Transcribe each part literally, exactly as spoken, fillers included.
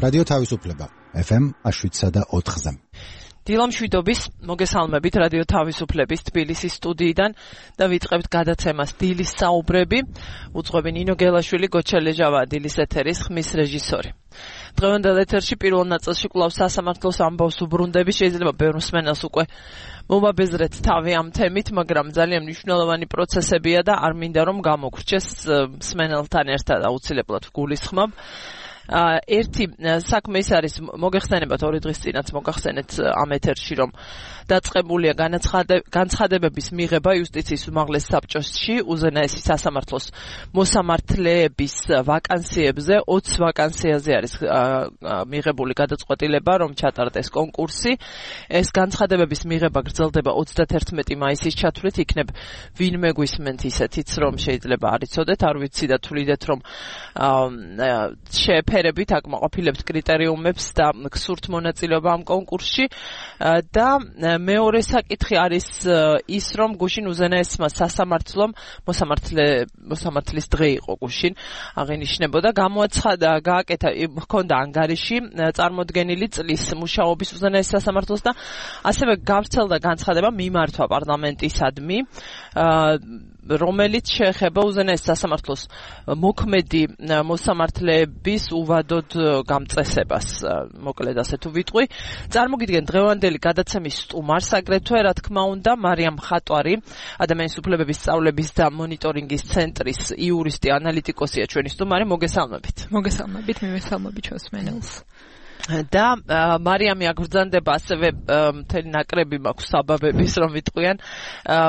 რადიო თავისუფლება ეფ ემ შვიდსა და ოთხზე. დილამ შვიდობის მოგესალმებით რადიო თავისუფლების თბილისის სტუდიიდან და ვიწყებთ გადაცემას დილის საუბრები. უძღვები ნინო გელაშვილი, გოჩელეჟავა დილის ეთერის ხმის რეჟისორი. დღევანდელ ეთერში პირველ ნაწილში კვლავ სასამართლოს ამბავს უბრუნდები, შეიძლება ბევრ მსმენელს უკვე მომაბეზრეთ თავი ამ თემით, მაგრამ ძალიან მნიშვნელოვანი პროცესებია და არ მინდა რომ გამოგრჩეს მსმენელთან ერთად აუცილებლად გულისხმობ. ერთი საქმე ის არის, მოგეხსენებათ ორი დღის წინაც მოგახსენეთ ამ ეთერში, რომ დაწყებულია განცხადებების მიღება იუსტიციის უმაღლეს საბჭოში უზენაესი სასამართლოს მოსამართლეების ვაკანსიებზე. ოცი ვაკანსიაზე არის მიღებული გადაწყვეტილება, რომ ჩატარდეს კონკურსი. ეს განცხადებების მიღება გრძელდება ოცდათერთმეტი მაისის ჩათვლით. იქნებ ვინმე გვისმენთ ისეთიც, რომ შეიძლება არ იცოდეთ, არ ვიცი და თვლიდეთ, რომ შეეფერებით აკმაყოფილებთ კრიტერიუმებს და გსურთ მონაწილეობა ამ კონკურსში. და მეორე საკითხი არის ის, რომ გუშინ უზენაესმა სასამართლომ მოსამართლე მოსამართლის დღე იყო გუშინ აღინიშნებოდა, გამოაცხადა, გააკეთა, ჰქონდა ანგარიში წარმოდგენილი წლის მუშაობის უზენაეს სასამართლოს და ასევე გავრცელდა განცხადება მიმართვა პარლამენტისადმი, რომელიც შეეხება უზენაეს სასამართლოს მოქმედი მოსამართლეების უვადოდ გამწესებას, მოკლედ ასე თუ ვიტყვი. წარმოგიდგენ დღევანდელი გადაცემის სტუმარს, აგრეთვე რა თქმა უნდა მარიამ ხატვარი, ადამიანის უფლებების სწავლების და მონიტორინგის ცენტრის იურისტი, ანალიტიკოსია ჩვენი სტუმარი. მოგესალმებით. მოგესალმებით, მივესალმებით ჩვენს მსმენელს. და მარიამი აგრძანდება, ასევე მთელი ნაკრები მაქვს საბაბების, რომ ვიტყვიან,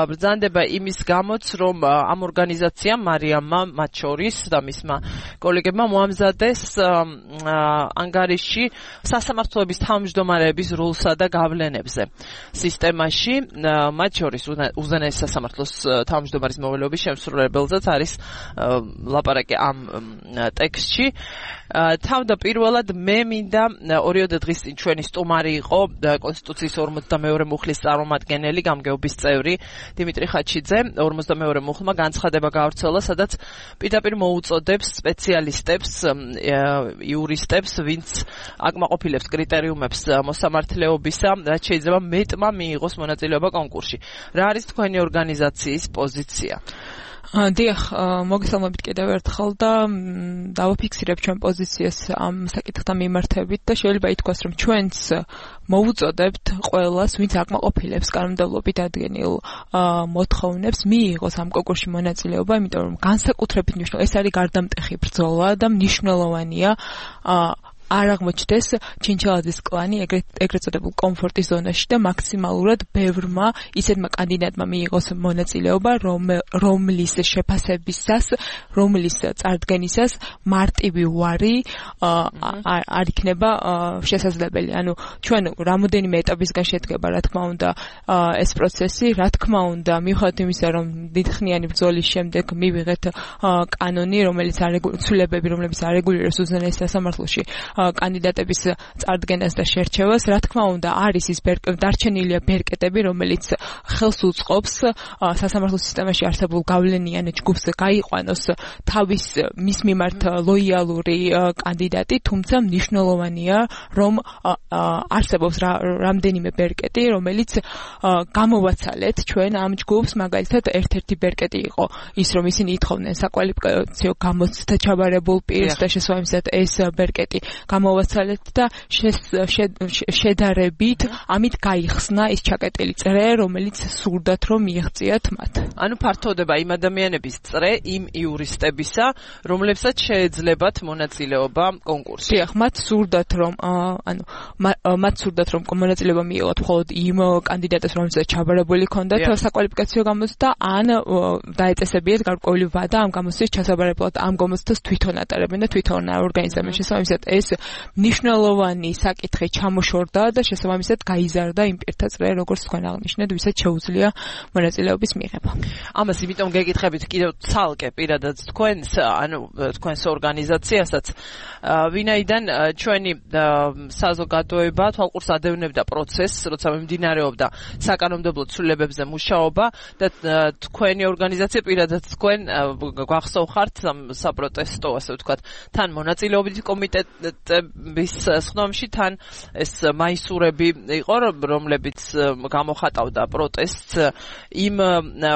ბრძანდება იმის გამოც, რომ ამ ორგანიზაციამ მარიამმა მათ შორის და მისმა კოლეგებმა მოამზადეს ანგარიში სასამართლოების თავმჯდომარეების როლსა და გავლენებზე სისტემაში, მათ შორის უზენაეს სასამართლოს თავმჯდომარის მოვალეობის შემსრულებელზეც არის ლაპარაკი ამ ტექსტში. თავდაპირველად მე მინდა ორიოდე დღის წინ ჩვენი სტუმარი იყო კონსტიტუციის ორმოცდამეორე მუხლის წარმომადგენელი, გამგეობის წევრი დიმიტრი ხაჩიძე. ორმოცდამეორე მუხლმა განცხადება გავრცელა, სადაც პირდაპირ მოუწოდებს სპეციალისტებს, იურისტებს, ვინც აკმაყოფილებს კრიტერიუმებს მოსამართლეობისა, რაც შეიძლება მეტმა მიიღოს მონაწილეობა კონკურსში. რა არის თქვენი ორგანიზაციის პოზიცია? დიახ, მოგესალმებით კიდევ ერთხელ და დავაფიქსირებ ჩვენ პოზიციას ამ საკითხთან მიმართებით და შეიძლება ითქვას, რომ ჩვენც მოუწოდებთ ყველას, ვინც აკმაყოფილებს კანონმდებლობით ადგენილ მოთხოვნებს, მიიღოს ამ კონკურსში მონაწილეობა, იმიტომ რომ განსაკუთრებით მნიშვნელოვანი, ეს არის გარდამტეხი ბრძოლა და მნიშვნელოვანია არ აღმოჩნდეს ჩინჩალაძის კლანი ეგრეთ წოდებულ კომფორტის ზონაში და მაქსიმალურად ბევრმა ისეთმა კანდიდატმა მიიღოს მონაწილეობა, რომლის შეფასებისას, რომლის წარდგენისას მარტივი უარი არ იქნება შესაძლებელი. ანუ ჩვენ რამოდენიმე ეტაპისგან შედგება, რა თქმა უნდა, ეს პროცესი, რა თქმა უნდა, მიუხედავად იმისა, რომ დიდხნიანი ბრძოლის შემდეგ მივიღეთ კანონი, რომელიც ცვლილებები, რომლებიც არეგულირებს უზენაეს სასამართლოში კანდიდატების წარდგენას და შერჩევას, რა თქმა უნდა, არის ის დარჩენილია ბერკეტები, რომელიც ხელს უწყობს სასამართლო სისტემაში არსებულ გავლენიან ჯგუფს გაიყვანოს თავის მის მიმართ ლოიალური კანდიდატი, თუმცა მნიშვნელოვანია, რომ არსებობს რამდენიმე ბერკეტი, რომელიც გამოვაცალეთ ჩვენ ამ ჯგუფს. მაგალითად, ერთ-ერთი ბერკეტი იყო ის, რომ ისინი ითხოვდნენ საკვალიფიკაციო გამოცდით ჩაბარებულ პირს და შესაბამისად ეს ბერკეტი გამოვაცალეთ და შედარებით ამით გაიხსნა ის ჩაკეტილი წრე, რომელიც სურდათ რომ მიიღწიათ მათ. ანუ ფართოვდება იმ ადამიანების წრე, იმ იურისტებისა, რომლებსაც შეეძლებათ მონაწილეობა კონკურსში. დიახ, მათ სურდათ რომ ანუ მათ სურდათ რომ მონაწილეობა მიიღოთ მხოლოდ იმ კანდიდატებს, რომელსაც ჩაბარებული ჰქონდათ საკვალიფიკაციო გამოცდა, ან დაეწესებიათ გარკვეული ვადა ამ გამოცდის ჩასაბარებლად, ამ გამოცდას თვითონ ატარებენ და თვითონ ორგანიზებენ. შესაბამისად ეს მნიშვნელოვანი საკითხი ჩამოშორდა და შესაბამისად გაიზარდა იმ პირთა წრე, როგორც თქვენ აღნიშნეთ, ვისაც შეუძლია მონაწილეობის მიღება. ამას იმიტომ გეკითხებით კიდევ ცალკე პირადად თქვენს, ანუ თქვენს ორგანიზაციასაც, ვინაიდან ჩვენი საზოგადოება თვალყურს ადევნებდა პროცესს, როცა მიმდინარეობდა საკანონმდებლო ცვლილებებზე მუშაობა და თქვენი ორგანიზაცია პირადად თქვენ გვახსოვხართ საპროტესტო, ასე ვთქვათ, თან მონაწილეობით კომიტეტ დეპუტატების სხდომში თან ეს მაისურები იყო, რომლებიც გამოხატავდა პროტესტს იმ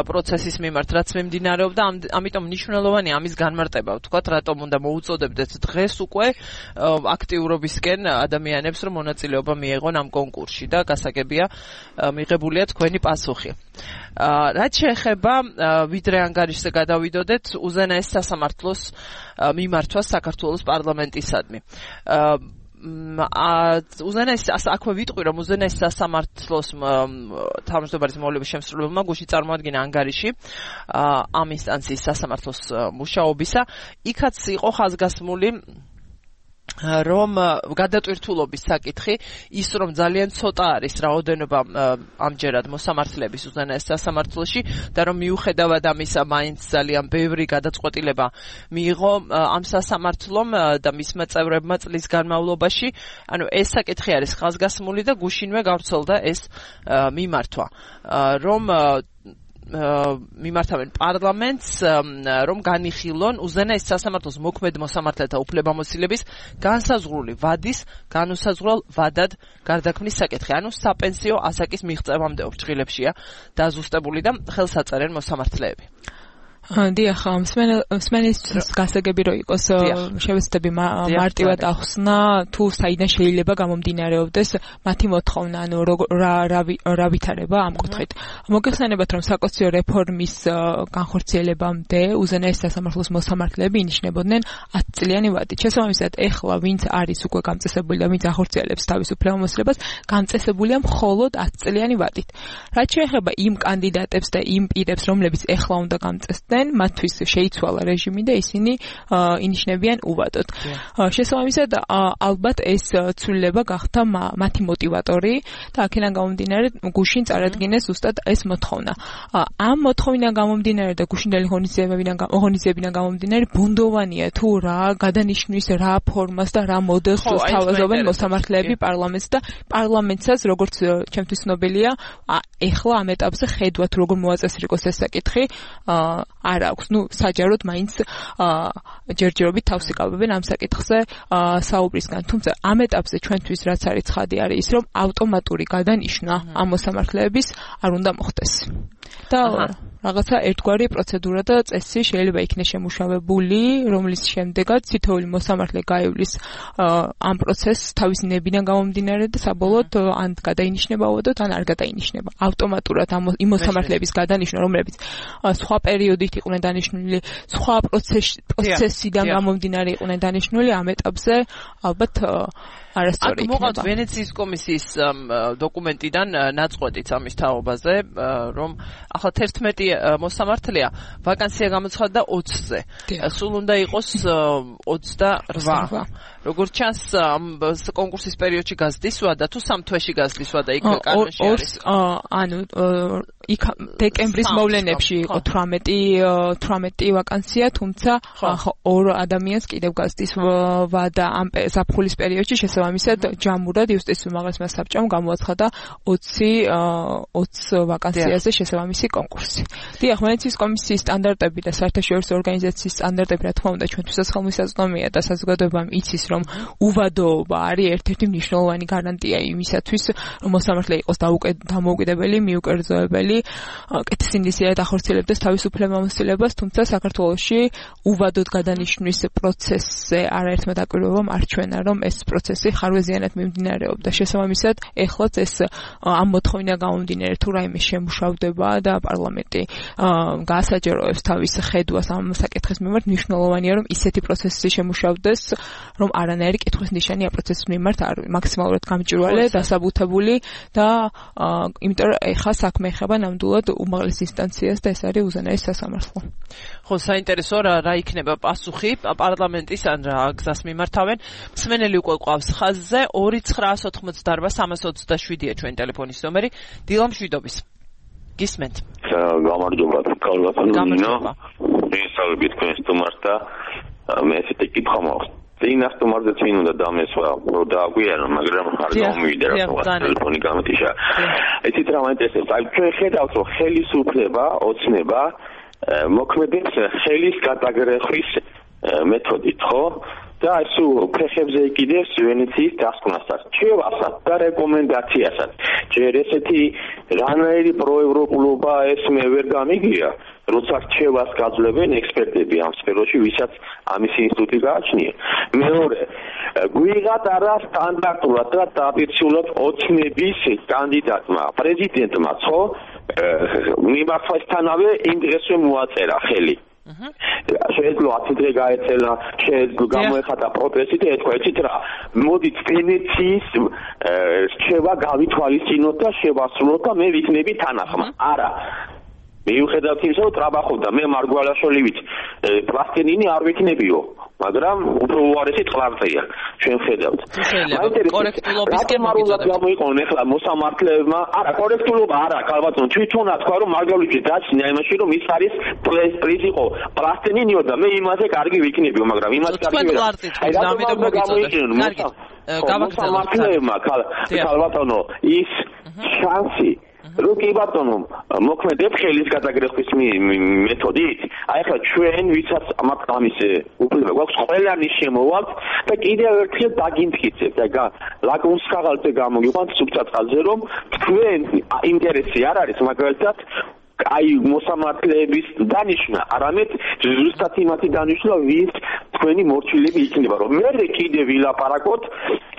პროცესის მიმართ, რაც მიმდინარეობდა, ამიტომ მნიშვნელოვანია ამის განმარტება, ვთქვათ, რატომ უნდა მოუწოდებდეთ დღეს უკვე აქტიურობისკენ ადამიანებს, რომ მონაწილეობა მიეღონ ამ კონკურსში და გასაგებია მიღებულია თქვენი პასუხი. რაც შეეხება ვიდრე ანგარიშზე გადავიდოდეთ უზენაეს სასამართლოს მიმართვას საქართველოს პარლამენტისადმი. უზენაეს აქვე ვიტყვი, რომ უზენაეს სასამართლოს თავმჯდომარის მოვლების შემსრულებელმა გუშინ წარმოადგინა ანგარიში ამ ინსტანციის სასამართლოს მუშაობისა. იქაც იყო ხაზგასმული რომ გადატვირთულობის საკითხი ის რომ ძალიან ცოტა არის რაოდენობა ამჯერად მოსამართლეების უზენაეს სასამართლოში და რომ მიუხედავად ამისა მაინც ძალიან ბევრი გადაწყვეტილება მიიღო ამ სასამართლომ და მისმა წევრებმა წლის განმავლობაში, ანუ ეს საკითხი არის ხაზგასმული და გუშინვე გავრცელდა ეს მიმართვა, რომ მიმართავენ პარლამენტს, რომ განიხილონ უზენაეს სასამართლოს მოქმედ მოსამართლეთა უფლებამოსილების განსაზღვრული ვადის განუსაზღვრელ ვადად გარდაქმნის საკითხი. ანუ საპენსიო ასაკის მიღწევამდე ოფრთხილებშია დაზუსტებული და ხელს აწერენ მოსამართლეები. დიახ, მსმენელს გასაგები რო იყოს შევეცდები მარტივად ახსნა თუ საიდან შეიძლება გამომდინარეობდეს მათი მოთხოვნა, ანუ რა ვითარება ამ კუთხით. მოგეხსენებათ, რომ საკონსტიტუციო რეფორმის განხორციელებამდე უზენაეს სასამართლოს მოსამართლეები ინიშნებოდნენ ათწლიანი ვადით. შესაბამისად, ეხლა ვინც არის უკვე გამწესებული და ვინც ახორციელებს თავის უფლებამოსილებას, გამწესებულია მხოლოდ ათწლიანი ვადით. რაც შეეხება იმ კანდიდატებს და იმ პირებს, რომლებიც ეხლა უნდა გამწესდნენ, მათთვის შეიცვალა რეჟიმი და ისინი ინიშნებიან უვადოდ. შესაბამისად, ალბათ ეს ცვლილება გახდა მათი მოტივატორი და აქედან გამომდინარე გუშინ წარადგინეს ზუსტად ეს მოთხოვნა. ამ მოთხოვნიდან გამომდინარე და გუშინდელი ღონისძიებიდან გამომდინარე ბუნდოვანია თუ რა გადანიშნვის, რა ფორმას და რა მოდელს თავაზობენ მოსამართლეები პარლამენტს და პარლამენტსაც, როგორც ჩემთვის ცნობილია, ეხლა ამ ეტაპზე ხედვა თუ როგორ მოაწესრიგოს ეს საკითხი არ აქვს. ნუ საჯაროდ მაინც ჯერჯერობით თავს იკავებენ ამ საკითხზე საუბრისგან. თუმცა ამ ეტაპზე ჩვენთვის რაც არის ცხადი არის ის, რომ ავტომატური გადანიშნა ამ მოსამართლეების არ უნდა მოხდეს. და რაღაცა ერთგვარი პროცედურა და წესი შეიძლება იქნეს შემუშავებული, რომლის შემდეგაც თითოეული მოსამართლე გაივლის ამ პროცესს თავისი ნებიდან გამომდინარე და საბოლოოდ ან გადაინიშნება უვადოდ, ან არ გადაინიშნება. ავტომატურად იმ მოსამართლეების გადანიშნა, რომლებიც სხვა პერიოდით იყვნენ დანიშნული, სხვა პროცესიდან გამომდინარე იყვნენ დანიშნული, ამ ეტაპზე ალბათ არასწორი იქნება. აქ მოყავთ ვენეციის კომისიის დოკუმენტიდან ნაწყვეტიც ამის თაობაზე, რომ ახლა თერთმეტი მოსამართლეა, ვაკანსია გამოცხადდა ოცზე. სულ უნდა იყოს ოცდარვა. როგორც ჩანს, კონკურსის პერიოდში გაზრდის ვადა თუ სამ თვეში გაზრდის ვადა იქ კანონში არის. ანუ იქ დეკემბრის მოვლენებში იყო თვრამეტი ვაკანსია, თუმცა ორ ადამიანს კიდევ გაზრდის ვადა ამ ზაფხულის პერიოდში. შესაბამისად, ჯამურად იუსტიციის უმაღლესმა საბჭომ გამოაცხადა ოცი ვაკანსიაზე შესაბამისი კონკურსი. დიახ, ვენეციის კომისიის სტანდარტები და საერთაშორისო ორგანიზაციის სტანდარტები, რა თქმა უნდა, ჩვენთვისაც ხელმისაწვდომია და საზოგადოებამ იცის, რომ უვადოობა არის ერთ-ერთი მნიშვნელოვანი გარანტია იმისათვის, რომ მოსამართლე იყოს დამოუკიდებელი, მიუკერძოებელი, კეთილსინდისიერად ახორციელებდეს თავის უფლებამოსილებას, თუმცა საქართველოში უვადოდ გადანიშნვის პროცესზე არაერთმა დაკვირვებამ არჩვენა, რომ ეს პროცესი ხარვეზიანად მიმდინარეობდა. შესაბამისად, ეხლაც ეს ამ მოთხოვნიდან გამომდინარე თუ რაიმე შემუშავდება და პარლამენტი გაასაჯაროებს თავის ხედვას ამ საკითხის მიმართ, მნიშვნელოვანია, რომ ისეთი პროცესი შემუშავდეს, რომ არანაირი კითხვის ნიშანი ამ პროცესის მიმართ არ მაქსიმალურად გამჭვირვალე, დასაბუთებული და იმიტომ რომ ეხლა საქმე ეხება ნამდვილად უმაღლეს ინსტანციას და ეს არის უზენაეს სასამართლო. ხო, საინტერესო რა რა იქნება პასუხი პარლამენტის ან რა გზას მიმართავენ. მსმენელი უკვე ყავს ხაზზე ორი ცხრაას ოთხმოცდარვა სამას ოცდაშვიდია ჩვენი ტელეფონის ნომერი. დილა მშვიდობის. გისმენთ. გამარჯობა, გამარჯობა. მისალებით თქვენ სტუმარს და მე ესეთი კითხვა მაქვს. წინა სტუმარზე წინ უნდა დამესვა, რომ დააგვიანო, მაგრამ არ გამომივიდა რა ტელეფონი გამოტიშა. იცით რა მაინტერესებს? აი ჩვენ ხედავთ, რომ ხელისუფლება, ოცნება მოქმედებს ხელის გადაგრეხვის მეთოდით, ხო? და ესუ ფეხებზე იკიდებს ვენეციის დასკვნასაც, ჩევასაც და რეკომენდაციასაც. ჯერ ესეთი რანაირი პროევროპულობა ეს მე ვერ გამიგია, როცა რჩევას გაძლევენ ექსპერტები ამ სფეროში, ვისაც ამის ინსტიტუტი გააჩნია. მეორე, გვიღათ არა სტანდარტულად და დაპირისპირებულად ოცნების კანდიდატმა, პრეზიდენტმა, ხო? მიმართვასთანავე იმ დღესვე მოაწერა ხელი. შეეძლო ათი დღე გაეცელა, შეეძლო გამოეხატა პროტესტი და ეთქვა, იცით რა, მოდით ვენეციის რჩევა გავითვალისწინოთ და შევასრულოთ და მე ვიქნები თანახმა. არა. მიუხედავად იმისა, რომ ტრაბახობდა მე მარგვალაშვილივით, პლასტინინი არ ვიქნებიო, მაგრამ უფრო უარესი ტყლარწია, ჩვენ ხედავთ. კორექტულობისკენ გამოიყენონ ახლა მოსამართლეებმა, არა, კორექტულობა არა, კალბატონ, თვითონა თქვა, რომ მარგვალიშვილის დაჩნია იმაში, რომ ის არის პრეზ იყო პლასტინინიო და მე იმაზე კარგი ვიქნებიო, მაგრამ იმას კარგი ვერ. აი რატომ გამოიყენონ? მოსამართლეებმა, კალბატონო, ის შანსი რო კი ბატონო მოქმედებ ხელის გადაგრეხვის მეთოდით, აი ახლა ჩვენ ვისაც ამის უფლება გვაქვს ყველანი შემოვალთ და კიდევ ერთხელ დაგიმტკიცებთ და ლაკმუს ქაღალდზე გამოგიყვანთ სუბჭაწყალზე, რომ თქვენ ინტერესი არ არის მაგალითად აი მოსამართლეების დანიშვნა, არამედ ზუსტად იმათი დანიშვნა, ვის თქვენი მორჩილები იქნება, რომ მე კიდე ვილაპარაკოთ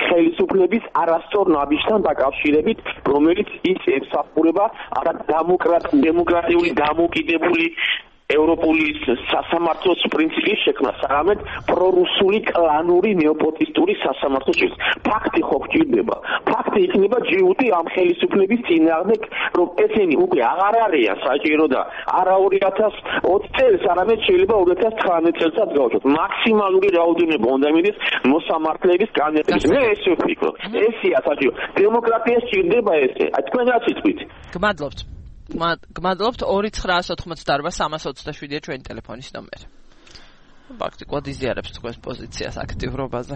ხელისუფლების არასწორ ნაბიჯთან დაკავშირებით, რომელიც ის ემსახურება არა დემოკრატიული დამოუკიდებელი ევროპული სასამართლოს პრინციპის შექმნას, არამედ პრორუსული კლანური ნეოპოტისტური სასამართლოს შექმნას. ფაქტი ხო გჭირდება. ფაქტი იქნება ჯიუტი ამ ხელისუფლების წინააღმდეგ, რომ ესენი უკვე აღარ არიან საჭირო და არა ორი ათას ოცი წელს, არამედ შეიძლება ორი ათას თხრამეტ წელსაც გავუშვათ. მაქსიმალური რაოდენობა უნდა მიდის მოსამართლეების კანდიდატების. მე ესე ვფიქრობ. ესეა საჭირო. დემოკრატია სჭირდება ესე. აი თქვენ რაც იტყვით. გმადლობთ. გმადლობთ ორი ცხრაას ოთხმოცდაარბა სამას ოცდაშვიდია ჩვენი ტელეფონის ნომერი. ფაქტიკოდ იზიარებს თქვენს პოზიციას აქტიურობაზე.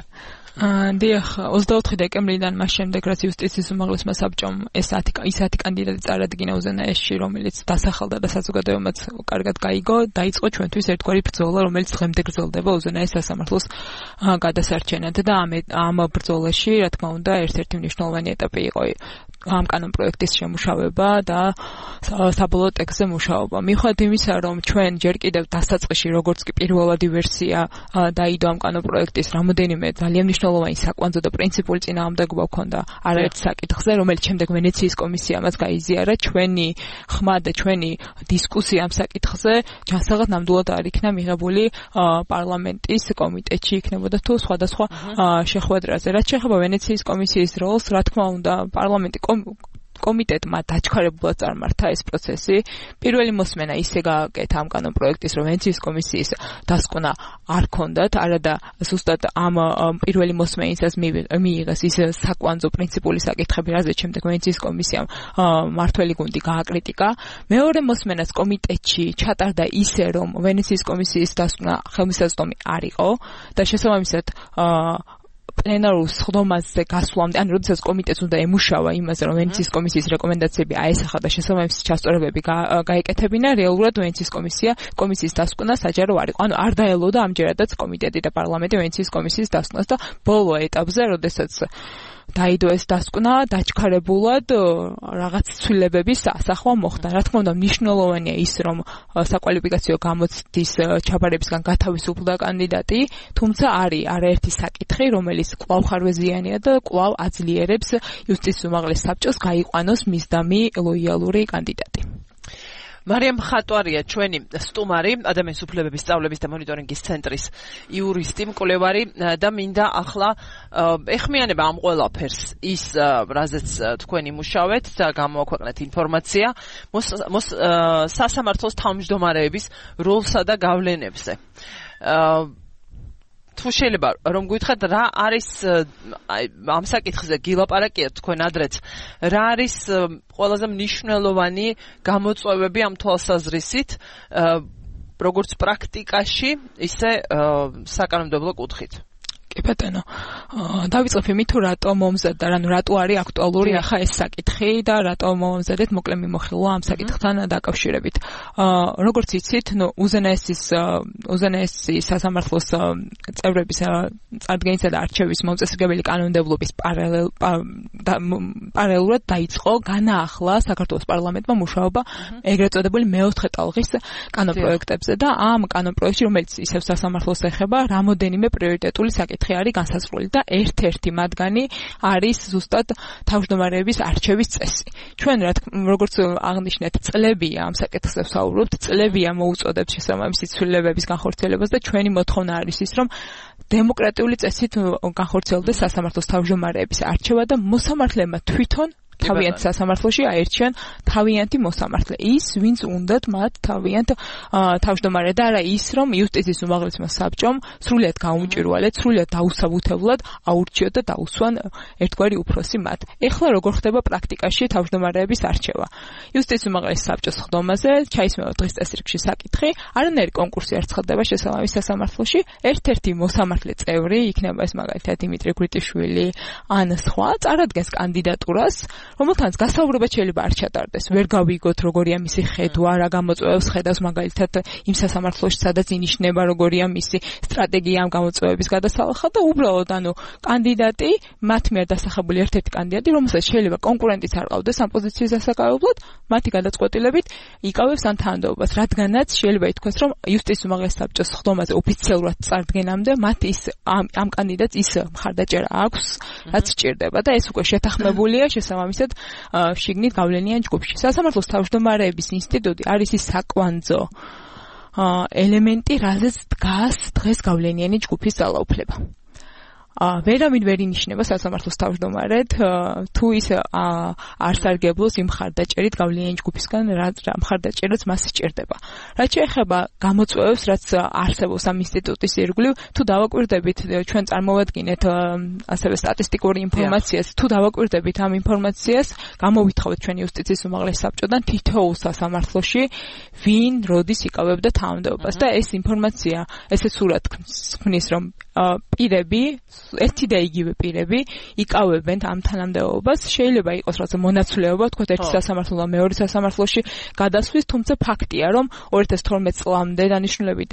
დიახ, ოცდაოთხი დეკემბრიდან მას შემდეგ რაც იუსტიციის უმაღლესმა საბჭომ ეს ისეთი კანდიდატი წარადგინა უზენაესში, რომელიც დასახელდა და საზოგადოებამაც კარგად გაიგო, დაიწყო ჩვენთვის ერთგვარი ბრძოლა, რომელიც დღემდე გრძელდება უზენაეს სასამართლოს გადასარჩენად და ამ ამ ბრძოლაში, რა თქმა უნდა, ერთ-ერთი მნიშვნელოვანი ეტაპი იყო ამ კანონპროექტის შემუშავება და საბოლოო ტექსტზე მუშაობა. მიუხედავად იმისა, რომ ჩვენ ჯერ კიდევ დასაწყისში, როგორც კი პირველადი ვერსია დაიდო ამ კანონპროექტის, რამოდენიმე ძალიან მნიშვნელოვანი საკვანძო და პრინციპული წინააღმდეგობა ჰქონდა არაერთ საკითხზე, რომელიც შემდეგ ვენეციის კომისიამაც გაიზიარა, ჩვენი ხმა და ჩვენი დისკუსია ამ საკითხზე ჯანსაღად ნამდვილად არ იქნა მიღებული პარლამენტის კომიტეტში, იქნებოდა თუ სხვადასხვა შეხვედრაზე. რაც შეეხება ვენეციის კომისიის როლს, რა თქმა უნდა, პარლამენტი კომიტეტმა დაჩქარებულად წარმართა ეს პროცესი. პირველი მოსმენა ისე გააკეთა ამ კანონპროექტის, რომ ვენეციის კომისიის დასკვნა არ ჰქონდათ, არადა ზუსტად ამ პირველი მოსმენისას მიიღეს ის საკვანძო პრინციპული საკითხები, რაზეც შემდეგ ვენეციის კომისიამ მართველი გუნდი გააკრიტიკა. მეორე მოსმენას კომიტეტში ჩატარდა ისე, რომ ვენეციის კომისიის დასკვნა ხელმისაწვდომი არ იყო და შესაბამისად პლენარულ სხდომაზე გასვლამდე, ან როდესაც კომიტეტს უნდა ემუშავა იმაზე, რომ ვენეციის კომისიის რეკომენდაციები აესახა და შესაბამისი ჩასწორებები გაეკეთებინა, რეალურად ვენეციის კომისია კომისიის დასკვნა საჯარო არ იყო. ანუ არ დაელოდა ამჯერადაც კომიტეტი და პარლამენტი ვენეციის კომისიის დასკვნას და ბოლო ეტაპზე, როდესაც დაიდო ეს დასკვნა, დაჩქარებულად რაღაც ცვლილებების ასახვა მოხდა. რა თქმა უნდა, მნიშვნელოვანია ის, რომ საკვალიფიკაციო გამოცდის ჩაბარებისგან გათავისუფლდა კანდიდატი, თუმცა არის არაერთი საკითხი, რომელიც კვლავ ხარვეზიანია და კვლავ აძლიერებს იუსტიციის უმაღლეს საბჭოს გაიყვანოს მისდამი ლოიალური კანდიდატი. მარიამ ხატვარია ჩვენი სტუმარი, ადამიანის უფლებების სწავლების და მონიტორინგის ცენტრის იურისტი, მკვლევარი და მინდა ახლა ეხმიანება ამ ყველაფერს ის, რაზეც თქვენი მუშავეთ და გამოაქვეყნეთ ინფორმაცია სასამართლოს თავმჯდომარეების როლსა და გავლენებზე. თუ შეიძლება რომ გითხრათ რა არის ამ საკითხზე გილაპარაკიათ თქვენ ადრეც, რა არის ყველაზე მნიშვნელოვანი გამოწვევები ამ თვალსაზრისით, როგორც პრაქტიკაში, ისე საკანონმდებლო კუთხით? კი ბატონო. დავიწყებ იმით, თუ რატო მომზადდა, ანუ რატო არის აქტუალური ახლა ეს საკითხი და რატო მომზადეთ მოკლე მიმოხილვა ამ საკითხთან დაკავშირებით. როგორც იცით, ნუ უზენაესის უზენაესის სასამართლოს წევრების წარდგენისა და არჩევის მომწესრიგებელი კანონმდებლობის პარალელ პარალელურად დაიწყო განაახლა საქართველოს პარლამენტმა მუშაობა ეგრეთ წოდებული მეოთხე ტალღის კანონპროექტებზე და ამ კანონპროექტში, რომელიც ისევ სასამართლოს ეხება, რამოდენიმე პრიორიტეტული საკითხი არის განსაზღვრული და ერთ-ერთი მათგანი არის ზუსტად თავმჯდომარეების არჩევის წესი. ჩვენ როგორც აღნიშნეთ, წლებია ამ საკითხზე ვსაუბრობთ, წლებია მოუწოდებს შესაბამისი ცვლილებების განხორციელებას და ჩვენი მოთხოვნა არის ის, რომ დემოკრატიული წესით განხორციელდეს სასამართლოს თავმჯდომარეების არჩევა და მოსამართლეებმა თვითონ თავიანთ სასამართლოში აერჩიონ თავიანთი მოსამართლე. ის, ვინც უნდათ მათ თავიანთ თავმჯდომარე და არა ის, რომ იუსტიციის უმაღლესმა საბჭომ სრულად გაუმჭირვალეთ, სრულად დაუსაბუთებლად აურჩიოთ და დაუსვან ერთგვარი უფროსი მათ. ეხლა როგორ ხდება პრაქტიკაში თავმჯდომარეების არჩევა? იუსტიციის უმაღლეს საბჭოს ხდომაზე ჩაისმევა დღის წესრიგში საკითხი, არანაირი კონკურსი არ ცხადდება შესაბამის სასამართლოში, ერთ-ერთი მოსამართლე წევრი, იქნება ეს მაგალითად დიმიტრი გვიტიშვილი ან სხვა, წარადგენს კანდიდატურას, რომელთანაც გასაუბრებად შეიძლება არ ჩატარდეს. ვერ გავიგოთ როგორია მისი ხედვა, რა გამოწვევებს ხედავს მაგალითად იმ სასამართლოში, სადაც ინიშნება როგორია მისი სტრატეგია ამ გამოწვევების გადასალახად და უბრალოდ ანუ კანდიდატი, მათ მიერ დასახებული ერთ-ერთი კანდიდატი, რომელსაც შეიძლება კონკურენტიც არ ყავდეს ამ პოზიციის დასაკავებლად, მათი გადაწყვეტილებით იკავებს ამ თანამდებობას, რადგანაც შეიძლება ითქვას, რომ იუსტიციის უმაღლეს საბჭოს ხდომაზე ოფიციალურად წარდგენამდე მათ ის ამ, ამ კანდიდატს ის მხარდაჭერა აქვს, რაც სჭირდება და ეს უკვე შეთანხმებულია შესაბამისად შიგნით გავლენიან ჯგუფში. სასამართლოს თავმჯდომარეების ინსტიტუტი არის ის საკვანძო ელემენტი, რაზეც დგას დღეს გავლენიანი ჯგუფის ძალაუფლება. ვერავინ ვერ ინიშნება სასამართლოს თავმჯდომარედ, თუ ის არ სარგებლობს იმ მხარდაჭერით გავლენიანი ჯგუფისგან, რა მხარდაჭერაც მას სჭირდება. რაც შეეხება გამოწვევებს, რაც არსებობს ამ ინსტიტუტის ირგვლივ, თუ დავაკვირდებით, ჩვენ წარმოვადგინეთ ასევე სტატისტიკური ინფორმაციას, თუ დავაკვირდებით ამ ინფორმაციას, გამოვითხოვეთ ჩვენ იუსტიციის უმაღლეს საბჭოდან თითოეულ სასამართლოში, ვინ როდის იკავებდა თანამდებობას და ეს ინფორმაცია ესეც სურად ქმნის, რომ პირები, ერთი და იგივე პირები იკავებენ ამ თანამდებობას. შეიძლება იყოს რაღაცა მონაცვლეობა, თქვათ ერთი სასამართლო და მეორე სასამართლოში გადასვლის, თუმცა ფაქტია, რომ ორი ათას თორმეტ წლამდე დანიშნულებით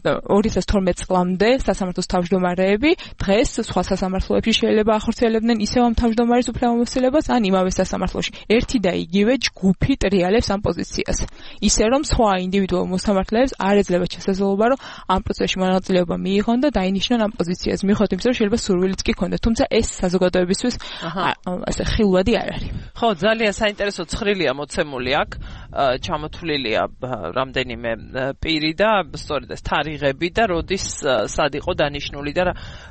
ორი ათას თორმეტ წლამდე სასამართლოს თავმჯდომარეები დღეს სხვა სასამართლოებში შეიძლება ახორციელებდნენ ისევ ამ თავმჯდომარის უფლებამოსილებას, ან იმავე სასამართლოში ერთი და იგივე ჯგუფი ტრიალებს ამ პოზიციას. ისე რომ სხვა ინდივიდუალურ მოსამართლეებს არ ეძლევა შესაძლებლობა, რომ ამ პროცესში მონაწილეობა მიიღონ და დაინიშნონ ამ პოზიციას. მიუხედავად იმისა, რომ შეიძლება სურვილიც კი ქონდეთ, თუმცა ეს საზოგადოებისთვის ასე ხილვადი არ არის. ხო, ძალიან საინტერესო ცხრილია მოცემული აქ, ჩამოთვლილია რამდენიმე პირი და სწორედ ეს თარიღები და როდის სად იყო დანიშნული და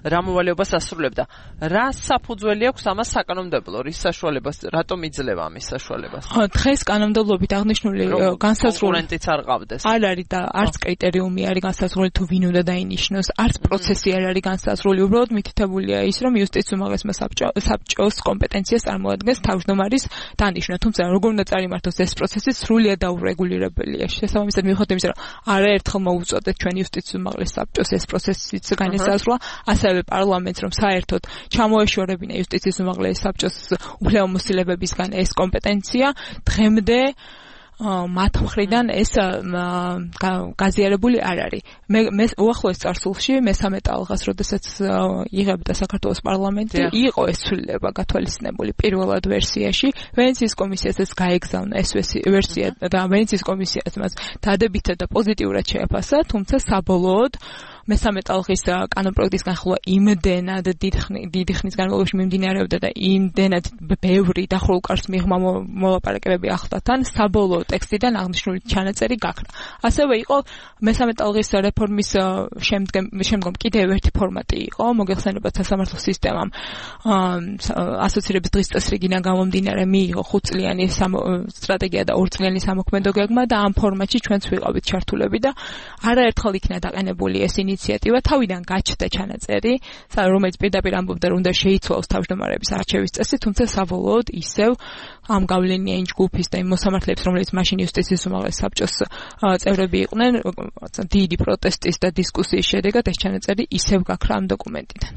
რა მოვალეობას ასრულებდა. რა საფუძველი აქვს ამას საკანონმდებლო, რის საშუალებას, რატომ იძლევა ამის საშუალებას? ხო, დღეს კანონმდებლობით აღნიშნული განსაზღვრული კონკურენტიც არ ყავდეს. არ არის და არც კრიტერიუმი არის განსაზღვრული თუ ვინ უნდა დაინიშნოს, არც პროცესი არ არის განსაზღვრული, უბრალოდ მითითებულია ის, რომ იუსტიციის უმაღლესმა საბჭოს კომპეტენციას წარმოადგენს თავმჯდომარის დანიშნა, თუმცა როგორ უნდა წარიმართოს ეს პროცესი სრულად დაურეგულირებელია. შესაბამისად მიუხედავად იმისა, რომ არაერთხელ მოუწოდეთ ჩვენ იუსტიციის უმაღლეს საბჭოს ეს პროცესიც განესაზღვრა, ასევე პარლამენტს, რომ საერთოდ ჩამოეშორებინა იუსტიციის უმაღლეს საბჭოს უფლებამოსილებებისგან ეს კომპეტენცია, დღემდე მათ მხრიდან ეს გაზიარებული არ არის. მე უახლოეს წარსულში მესამე ტალღას, როდესაც იღებდა საქართველოს პარლამენტი, იყო ეს ცვლილება გათვალისწინებული პირველად ვერსიაში. ვენეციის კომისიასაც გაეგზავნა ეს ვერსია და ვენეციის კომისიაც მას დადებითად და პოზიტიურად შეაფასა, თუმცა საბოლოოდ მესამე ტალღის კანონპროექტის განხილვა იმდენად დიდი ხნის განმავლობაში მიმდინარეობდა და იმდენად ბევრი დახურულ მიღმა მოლაპარაკებები ახლდათან, საბოლოო ტექსტიდან აღნიშნული ჩანაწერი გაქრა. ასევე იყო მესამე ტალღის რეფორმის შემდგომ კიდევ ერთი ფორმატი იყო, მოგეხსენებათ სასამართლო სისტემამ ასოცირების დღის წესრიგიდან გამომდინარე მიიღო ხუთწლიანი სტრატეგია და ორწლიანი სამოქმედო გეგმა და ამ ფორმატში ჩვენც ვიყავით ჩართულები და არაერთხელ იქნა დაყენებული ეს ინიციატივა თავიდან გაჩნდა ჩანაწერი, რომელიც პირდაპირ ამბობდა, რომ უნდა შეიცვალოს თავმჯდომარეების არჩევის წესი, თუმცა საბოლოოდ ისევ ამ გავლენია იმ ჯგუფის და იმ მოსამართლეებს, რომლებიც მაშინ იუსტიციის უმაღლეს საბჭოს წევრები იყვნენ, დიდი პროტესტის და დისკუსიის შედეგად ეს ჩანაწერი ისევ გაქრა ამ დოკუმენტიდან.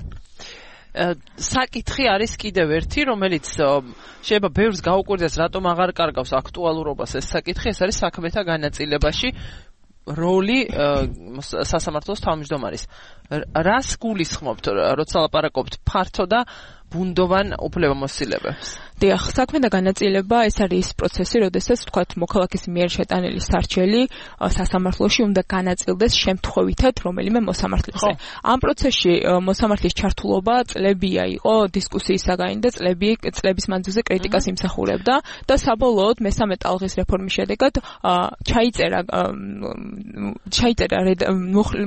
საკითხი არის კიდევ ერთი, რომელიც შეიძლება ბევრს გაუკვირდეს, რატომ აღარ კარგავს აქტუალურობას ეს საკითხი, ეს არის საქმეთა განაწილებაში როლი სასამართლოს თავმჯდომარის. რას გულისხმობთ, როცა ლაპარაკობთ ფართო და ბუნდოვან უფლებამოსილებებს? დიახ, საქმეთა განაწილება ეს არის ის პროცესი, როდესაც თქვათ მოქალაქის მიერ შეტანილი სარჩელი სასამართლოში უნდა განაწილდეს შემთხვევითად რომელიმე მოსამართლეზე. ამ პროცესში მოსამართლის ჩართულობა წლებია იყო დისკუსიისაგანი და წლები წლების მანძილზე კრიტიკას იმსახურებდა და საბოლოოდ მესამე ტალღის რეფორმის შედეგად ჩაიწერა ჩაიწერა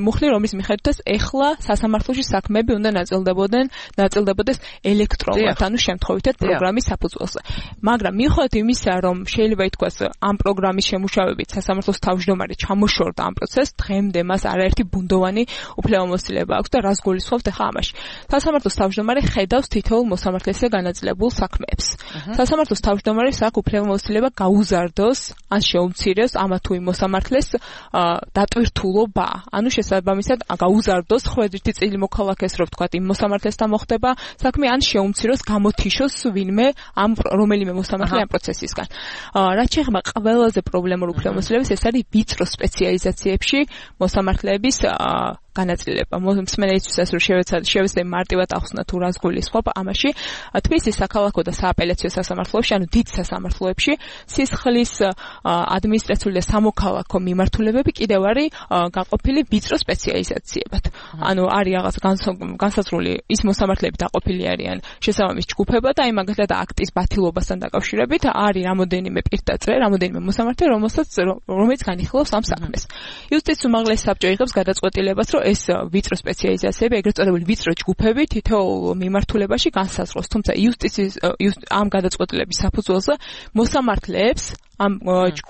მუხლი, რომლის მიხედვითაც ეხლა სასამართლოში საქმეები უნდა ნაწილდებოდნენ ნაწილდებოდეს ელექტრონულად, ანუ შემთხვევითად პროგრამის საფუძველზე. მაგრამ მიუხედავად იმისა, რომ შეიძლება ითქვას ამ პროგრამის შემუშავებით სასამართლოს თავმჯდომარე ჩამოშორდა ამ პროცესს, დღემდე მას არაერთი ბუნდოვანი უფლებამოსილება აქვს და რას გულისხმობთ ახლა ამაში. სასამართლოს თავმჯდომარე ხედავს თითოეულ მოსამართლესზე განაწილებულ საქმეებს. სასამართლოს თავმჯდომარეს აქვს უფლებამოსილება გაუზარდოს ან შეუმციროს ამა თუ იმ მოსამართლეს დატვირთულობა, ანუ შესაბამისად გაუზარდოს ხვედრითი წილი მოქალაქეს, რომ თქვათ იმ მოსამართლესთან მოხდება საქმე, ან შეუმციროს გამოთიშოს ვინმე ამ რომელიმე მოსამართლე ამ პროცესისგან. რაც შეეხება ყველაზე პრობლემურ უფლებამოსილებას, ეს არის ვიწრო სპეციალიზაციებში მოსამართლეების განაწილება. მსმენელისთვისაც რომ შევეცდები მარტივად ახსნა თუ რას გულისხმობ ამაში, თბილისის საქალაქო და სააპელაციო სასამართლოებში, ანუ დიდ სასამართლოებში, სისხლის ადმინისტრაციული და სამოქალაქო მიმართულებები კიდევ არის გაყოფილი ვიწრო სპეციალიზაციებად. ანუ არის რაღაც განსაზღვრული ის მოსამართლეები დაყოფილი არიან შესაბამის ჯგუფებად, აი მაგალითად აქტის ბათილობასთან დაკავშირებით არის რამოდენიმე პირდაწრე, რამოდენიმე მოსამართლე, რომელსაც რომელიც განიხილავს ამ საქმეს. იუსტიციის უმაღლესი საბჭო იღებს გადაწყვეტილებას, რომ ეს ვიწრო სპეციალიზაციები, ეგრეთ წოდებული ვიწრო ჯგუფები თითოეულ მიმართულებაში განსაზღვროს, თუმცა იუსტიციის ამ გადაწყვეტილების საფუძველზე მოსამართლეებს ამ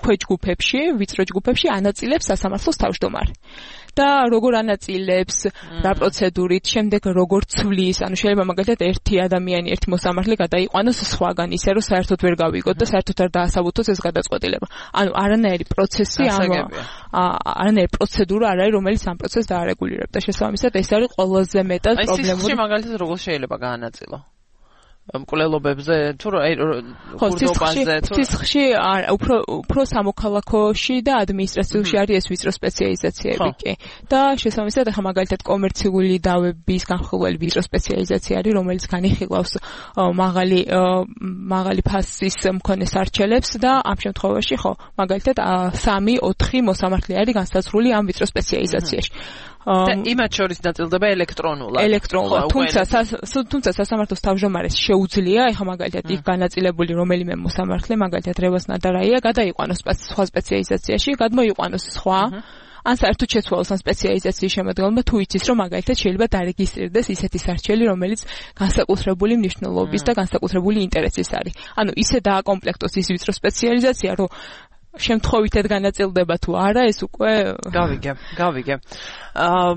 ქვეჯგუფებში, ვიწრო ჯგუფებში ანაწილებს სასამართლოს თავმჯდომარე. და როგორ ანაწილებს, რა პროცედურით, შემდეგ როგორ ცვლის, ანუ შეიძლება მაგალითად ერთი ადამიანი, ერთი მოსამართლე გადაიყვანოს სხვაგან, ისე რომ საერთოდ ვერ გავიგოთ და საერთოდ არ დაასაბუთოს ეს გადაწყვეტილება. ანუ არანაირი პროცესი, არანაირი პროცედურა არ არის, რომელიც ამ პროცესს დაარეგულირებდა. შესაბამისად, ეს არის ყველაზე მეტად პრობლემური. აი, მაგალითად როგორ შეიძლება გაანაწილო? მკვლელობებზე თუ ხურდობაზე თუ სისხლში უფრო უფრო სამოქალაქოში და ადმინისტრაციულში არის ეს ვიწრო სპეციალიზაციები კი და შესაბამისად ახლა მაგალითად კომერციული დავების განხილველი ვიწრო სპეციალიზაცია არის, რომელიც განიხილავს მაღალი მაღალი ფასის მქონე სარჩელებს და ამ შემთხვევაში ხო მაგალითად სამი ოთხი მოსამართლე არის განსაზღვრული ამ ვიწრო სპეციალიზაციაში. და იმათ შორის ნაწილდება ელექტრონულად. ელექტრონულად. თუმცა თუმცა სასამართლოს თავმჯდომარეს შეუძლია, ეხლა მაგალითად იქ განაწილებული რომელიმე მოსამართლე, მაგალითად რევას ნადარაია, გადაიყვანოს სხვა სპეციალიზაციაში, გადმოიყვანოს სხვა, ან საერთოდ შეცვალოს ამ სპეციალიზაციის შემადგენლობა, თუ იცის, რომ მაგალითად შეიძლება დარეგისტრირდეს ისეთი სარჩელი, რომელიც განსაკუთრებული მნიშვნელობის და განსაკუთრებული ინტერესის არის. ანუ ისე დააკომპლექტოს ის ვიწრო სპეციალიზაცია, რომ შემთხვევითად განაწილდება თუ არა, ეს უკვე გავიგე, გავიგე. აა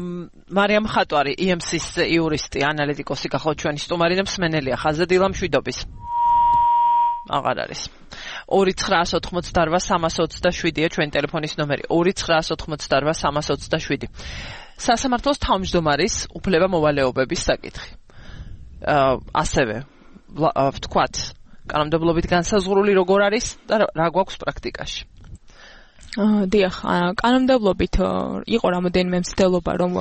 მარიამ ხატვარი, ი ემ სის იურისტი, ანალიტიკოსი გახლავთ ჩვენი სტუმარი და მსმენელია ხაზზე დილა მშვიდობის. აღარ არის. ორი ცხრაას ოთხმოცდაოთხ სამას ოცდაშვიდია ჩვენი ტელეფონის ნომერი. ორი ცხრაას ოთხმოცდაოთხ სამას ოცდაშვიდი. სასამართლოს თავმჯდომარის უფლება-მოვალეობების საკითხი. აა ასევე ვთქვათ კანონმდებლობით განსაზღვრული როგორ არის და რა გვაქვს პრაქტიკაში? დიახ, კანონმდებლობით იყო რამოდენიმე მცდელობა, რომ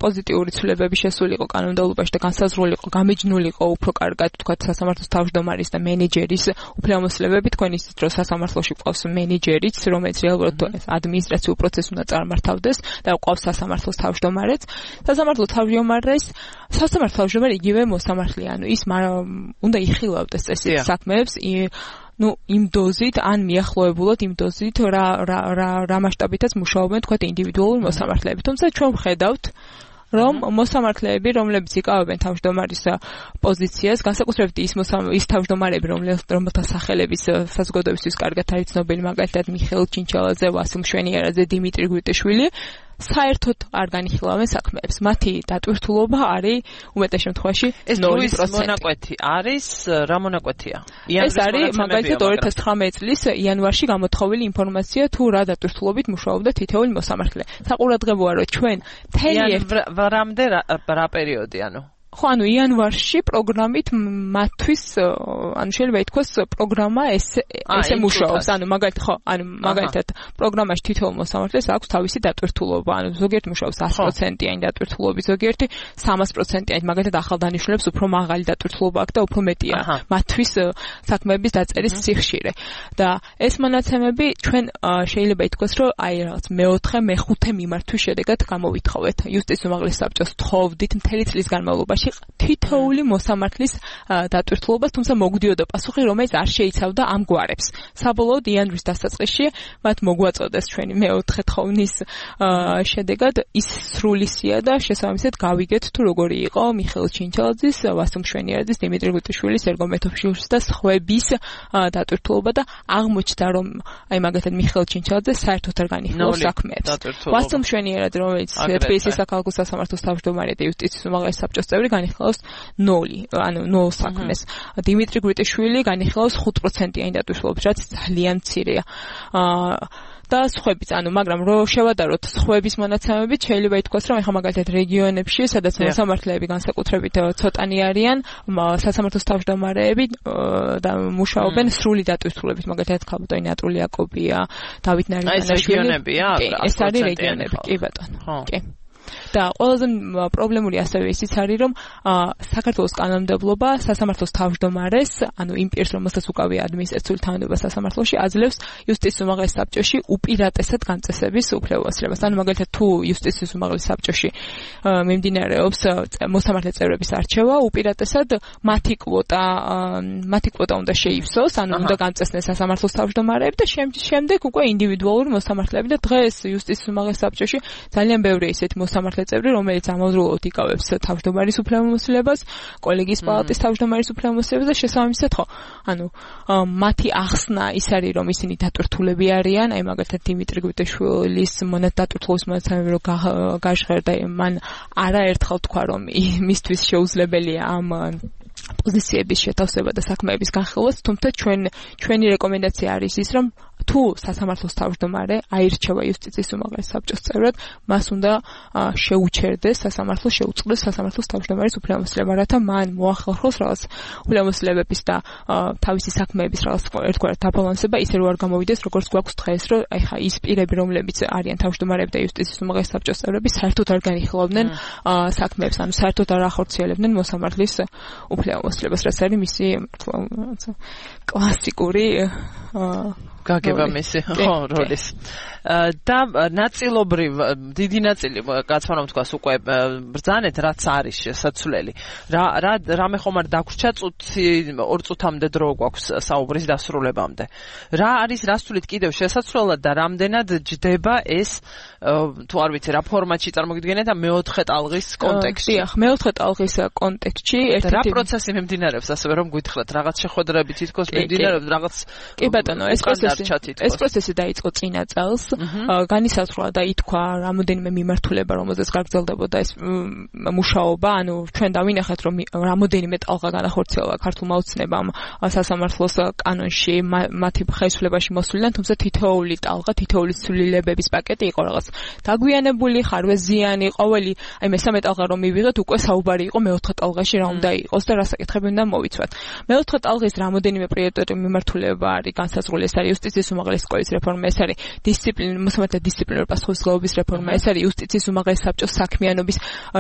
პოზიტიური ცვლილებები შესულიყო კანონმდებლობაში და განსაზღვრული იყო, გამიჯნულიყო უფრო კარგად, თქვათ, სასამართლოს თავმჯდომარის და მენეჯერის უფლებამოსილებები. თქვენ იცით, რომ სასამართლოში ყავს მენეჯერიც, რომელიც რეალურად ადმინისტრაციულ პროცესს უნდა წარმართავდეს და ყავს სასამართლოს თავმჯდომარეც. სასამართლოს თავმჯდომარეს, სასამართლოს თავმჯდომარე იგივე მოსამართლე, ანუ ის უნდა იხილავდეს წესით საქმეებს, ну იმ დოზით ან მიახლოებულად იმ დოზით რა რა რა რა მასშტაბითაც მუშაობენ თქვა ინდივიდუალური მოსამართლეები. თუმცა ჩვენ ვხედავთ რომ მოსამართლეები, რომლებიც იკავებენ თავმჯდომარის პოზიციას, განსაკუთრებით ის ის თავმჯდომარები, რომელთა სახელების საზოგადოებისთვის კარგად არის ცნობილი, მაგალითად მიხეილ ჩინჩელაძე, ვასილ მშვენიერაძე, დიმიტრი გვიტიშვილი, საერთოდ არ განიხილავენ საქმეებს. მათი დატვირთულობა არის უმეტეს შემთხვევაში ნული პროცენტი. ეს მონაკვეთი არის რა მონაკვეთია? ეს არის მაგალითად ორი ათას ათხრამეტი წლის იანვარში გამოთხოვილი ინფორმაცია თუ რა დატვირთულობით მუშაობდა თითოეული მოსამართლე. საყურადღებოა რომ ჩვენ თელი რამდე რა პერიოდი ანუ ხო ანუ იანვარში პროგრამით მათთვის ანუ შეიძლება ითქვას პროგრამა ესე ესე მუშაობს ანუ მაგალითად ხო ანუ მაგალითად პროგრამაში თითოეულ მოსამართლეს აქვს თავისი დატვირთულობა ანუ ზოგიერთი მუშაობს ათი პროცენტიანი დატვირთულობით ზოგიერთი სამას პროცენტიანი მაგალითად ახალ დანიშნულებს უფრო მაღალი დატვირთულობა აქვს და უფრო მეტია მათთვის საქმეების დაწერის სიხშირე და ეს მონაცემები ჩვენ შეიძლება ითქვას რომ აი რაღაც მეოთხე მეხუთე მიმართვის შედეგად გამოვითხოვეთ იუსტიციის უმაღლეს საბჭოს თხოვდით მთელი წლის განმავლობაში თითოეული მოსამართლის დატვირთულობას, თუმცა მოგვდიოდა პასუხი, რომელიც არ შეიცავდა ამ გვარებს. საბოლოოდ იანვრის დასაწყისში მათ მოგვაწოდეს ჩვენი მეოთხე თხოვნის შედეგად ის სრულისია და შესაბამისად გავიგეთ თუ როგორი იყო მიხეილ ჩინჩალაძის, ვასილ მშვენიარაძის, დიმიტრი გუტიშვილის, ერგო მეთოფშიულის და სხვების დატვირთულობა და აღმოჩნდა რომ აი მაგალითად მიხეილ ჩინჩალაძე საერთოდ არ განიხილავს საქმეებს. ვასილ მშვენიარაძე, რომელიც თბილისის საქალაქო სასამართლოს თავმჯდომარე და იუსტიციის უმაღლეს საბჭოს წევრი განიხილავს ნული, ანუ ნულ საქმეს. დიმიტრი გრიტიშვილი განიხილავს ხუთ პროცენტიანი დატვირთულობით, რაც ძალიან მცირეა. და სხვების, ანუ მაგრამ რო შევადაროთ სხვების მონაცემებით, შეიძლება ითქვას, რომ ეხლა მაგალითად რეგიონებში, სადაც მოსამართლეები განსაკუთრებით ცოტანი არიან, სასამართლოს თავმჯდომარეები და მუშაობენ სრული დატვირთულებით, მაგალითად ქალბატონი ნატული იაკობია, დავით ნარიმანაშვილი. ეს არის რეგიონები, კი ბატონო. კი. და ყველაზე პრობლემური ასევე ისიც არის, რომ საქართველოს კანონმდებლობა სასამართლოს თავმჯდომარეს, ანუ იმ პირს, რომელსაც უკავია ადმინისტრაციული თანამდებობა სასამართლოში, აძლევს იუსტიციის უმაღლეს საბჭოში უპირატესად განწესების უფლებასრებას. ანუ მაგალითად თუ იუსტიციის უმაღლეს საბჭოში მიმდინარეობს მოსამართლე წევრების არჩევა, უპირატესად მათი კვოტა, მათი კვოტა უნდა შეივსოს, ანუ უნდა განწესნეს სასამართლოს თავმჯდომარეები და შემდეგ უკვე ინდივიდუალური მოსამართლეები და დღეს იუსტიციის უმაღლეს საბჭოში ძალიან ბევრი ისეთი მოსამართლე წევრი, რომელიც ამავდროულად იკავებს თავმჯდომარის უფლებამოსილებას, კოლეგიის პალატის თავმჯდომარის უფლებამოსილებას და შესაბამისად ხო, ანუ მათი ახსნა ის არის, რომ ისინი დატვირთულები არიან, აი მაგალითად დიმიტრი გუტიშვილის მონათდატვირთულობის მონაცემები რო გაჟღერდა, მან არაერთხელ თქვა, რომ მისთვის შეუძლებელია ამ პოზიციების შეთავსება და საქმეების განხილვა, თუმცა ჩვენ ჩვენი რეკომენდაცია არის ის, რომ თუ სასამართლოს თავმჯდომარე აირჩევა იუსტიციის უმაღლეს საბჭოს წევრად, მას უნდა შეუჩერდეს სასამართლო, შეუწყდეს სასამართლოს თავმჯდომარის უფლებამოსილება, რათა მან მოახერხოს რაღაც უფლებამოსილებების და თავისი საქმეების რაღაც ერთგვარად დაბალანსება, ისე რომ არ გამოვიდეს, როგორც გვაქვს დღეს, რომ აი ხა ის პირები, რომლებიც არიან თავმჯდომარეები და იუსტიციის უმაღლეს საბჭოს წევრები, საერთოდ არ განიხილავდნენ საქმეებს, ანუ საერთოდ არ ახორციელებდნენ მოსამართლის უფლებამოსილებას, რაც არის მისი კლასიკური გაგება მისი ხო როლის და ნაწილობრივ დიდი ნაწილი კაცმანამ თქვას უკვე ბრძანეთ რაც არის შესაძლებელი რა რა რამე ხომ არ დაგვრჩა წუთი ორ წუთამდე დრო გვაქვს საუბრის დასრულებამდე რა არის რას თulit კიდევ შესაძლებლად და რამდენად ჯდება ეს თუ არ ვიცი რა ფორმატში წარმოგიდგენთ და მეოთხე ტალღის კონტექსტში დიახ მეოთხე ტალღის კონტექსტში ერთი რა პროცესი მიმდინარეობს ასევე რომ გითხრათ რაღაც შეხვედრები თითქოს მიმდინარეობს რაღაც კი ბატონო ეს პროცესი ეს პროცესი დაიწყო წინა წელს განისაზღვრა და ითქვა რამოდენიმე მიმართულება რომელზეც გაგრძელდებოდა ეს მუშაობა ანუ ჩვენ დავინახეთ რომ რამოდენიმე ტალღა განახორციელა ქართულმა ოცნებამ სასამართლოს კანონში მათი ხელისუფლებაში მოსვლიდან თუმცა თითოეული ტალღა თითოეული ცვლილებების პაკეტი იყო რაღაც დაგვიანებული ხარვეზიანი ყოველი აი მესამე ტალღა რომ მივიღეთ უკვე საუბარი იყო მეოთხე ტალღაში რა უნდა იყოს და რა საკითხები უნდა მოვიცვათ მეოთხე ტალღის რამოდენიმე პრიორიტეტი მიმართულება არის განსაზღვრული ეს არის იუსტიციის უმაღლეს სკოლის რეფორმა ეს არის დისციპლინა მოსამართლე დისციპლინური პასუხისმგებლობის რეფორმა ეს არის იუსტიციის უმაღლეს საბჭოს საქმიანობის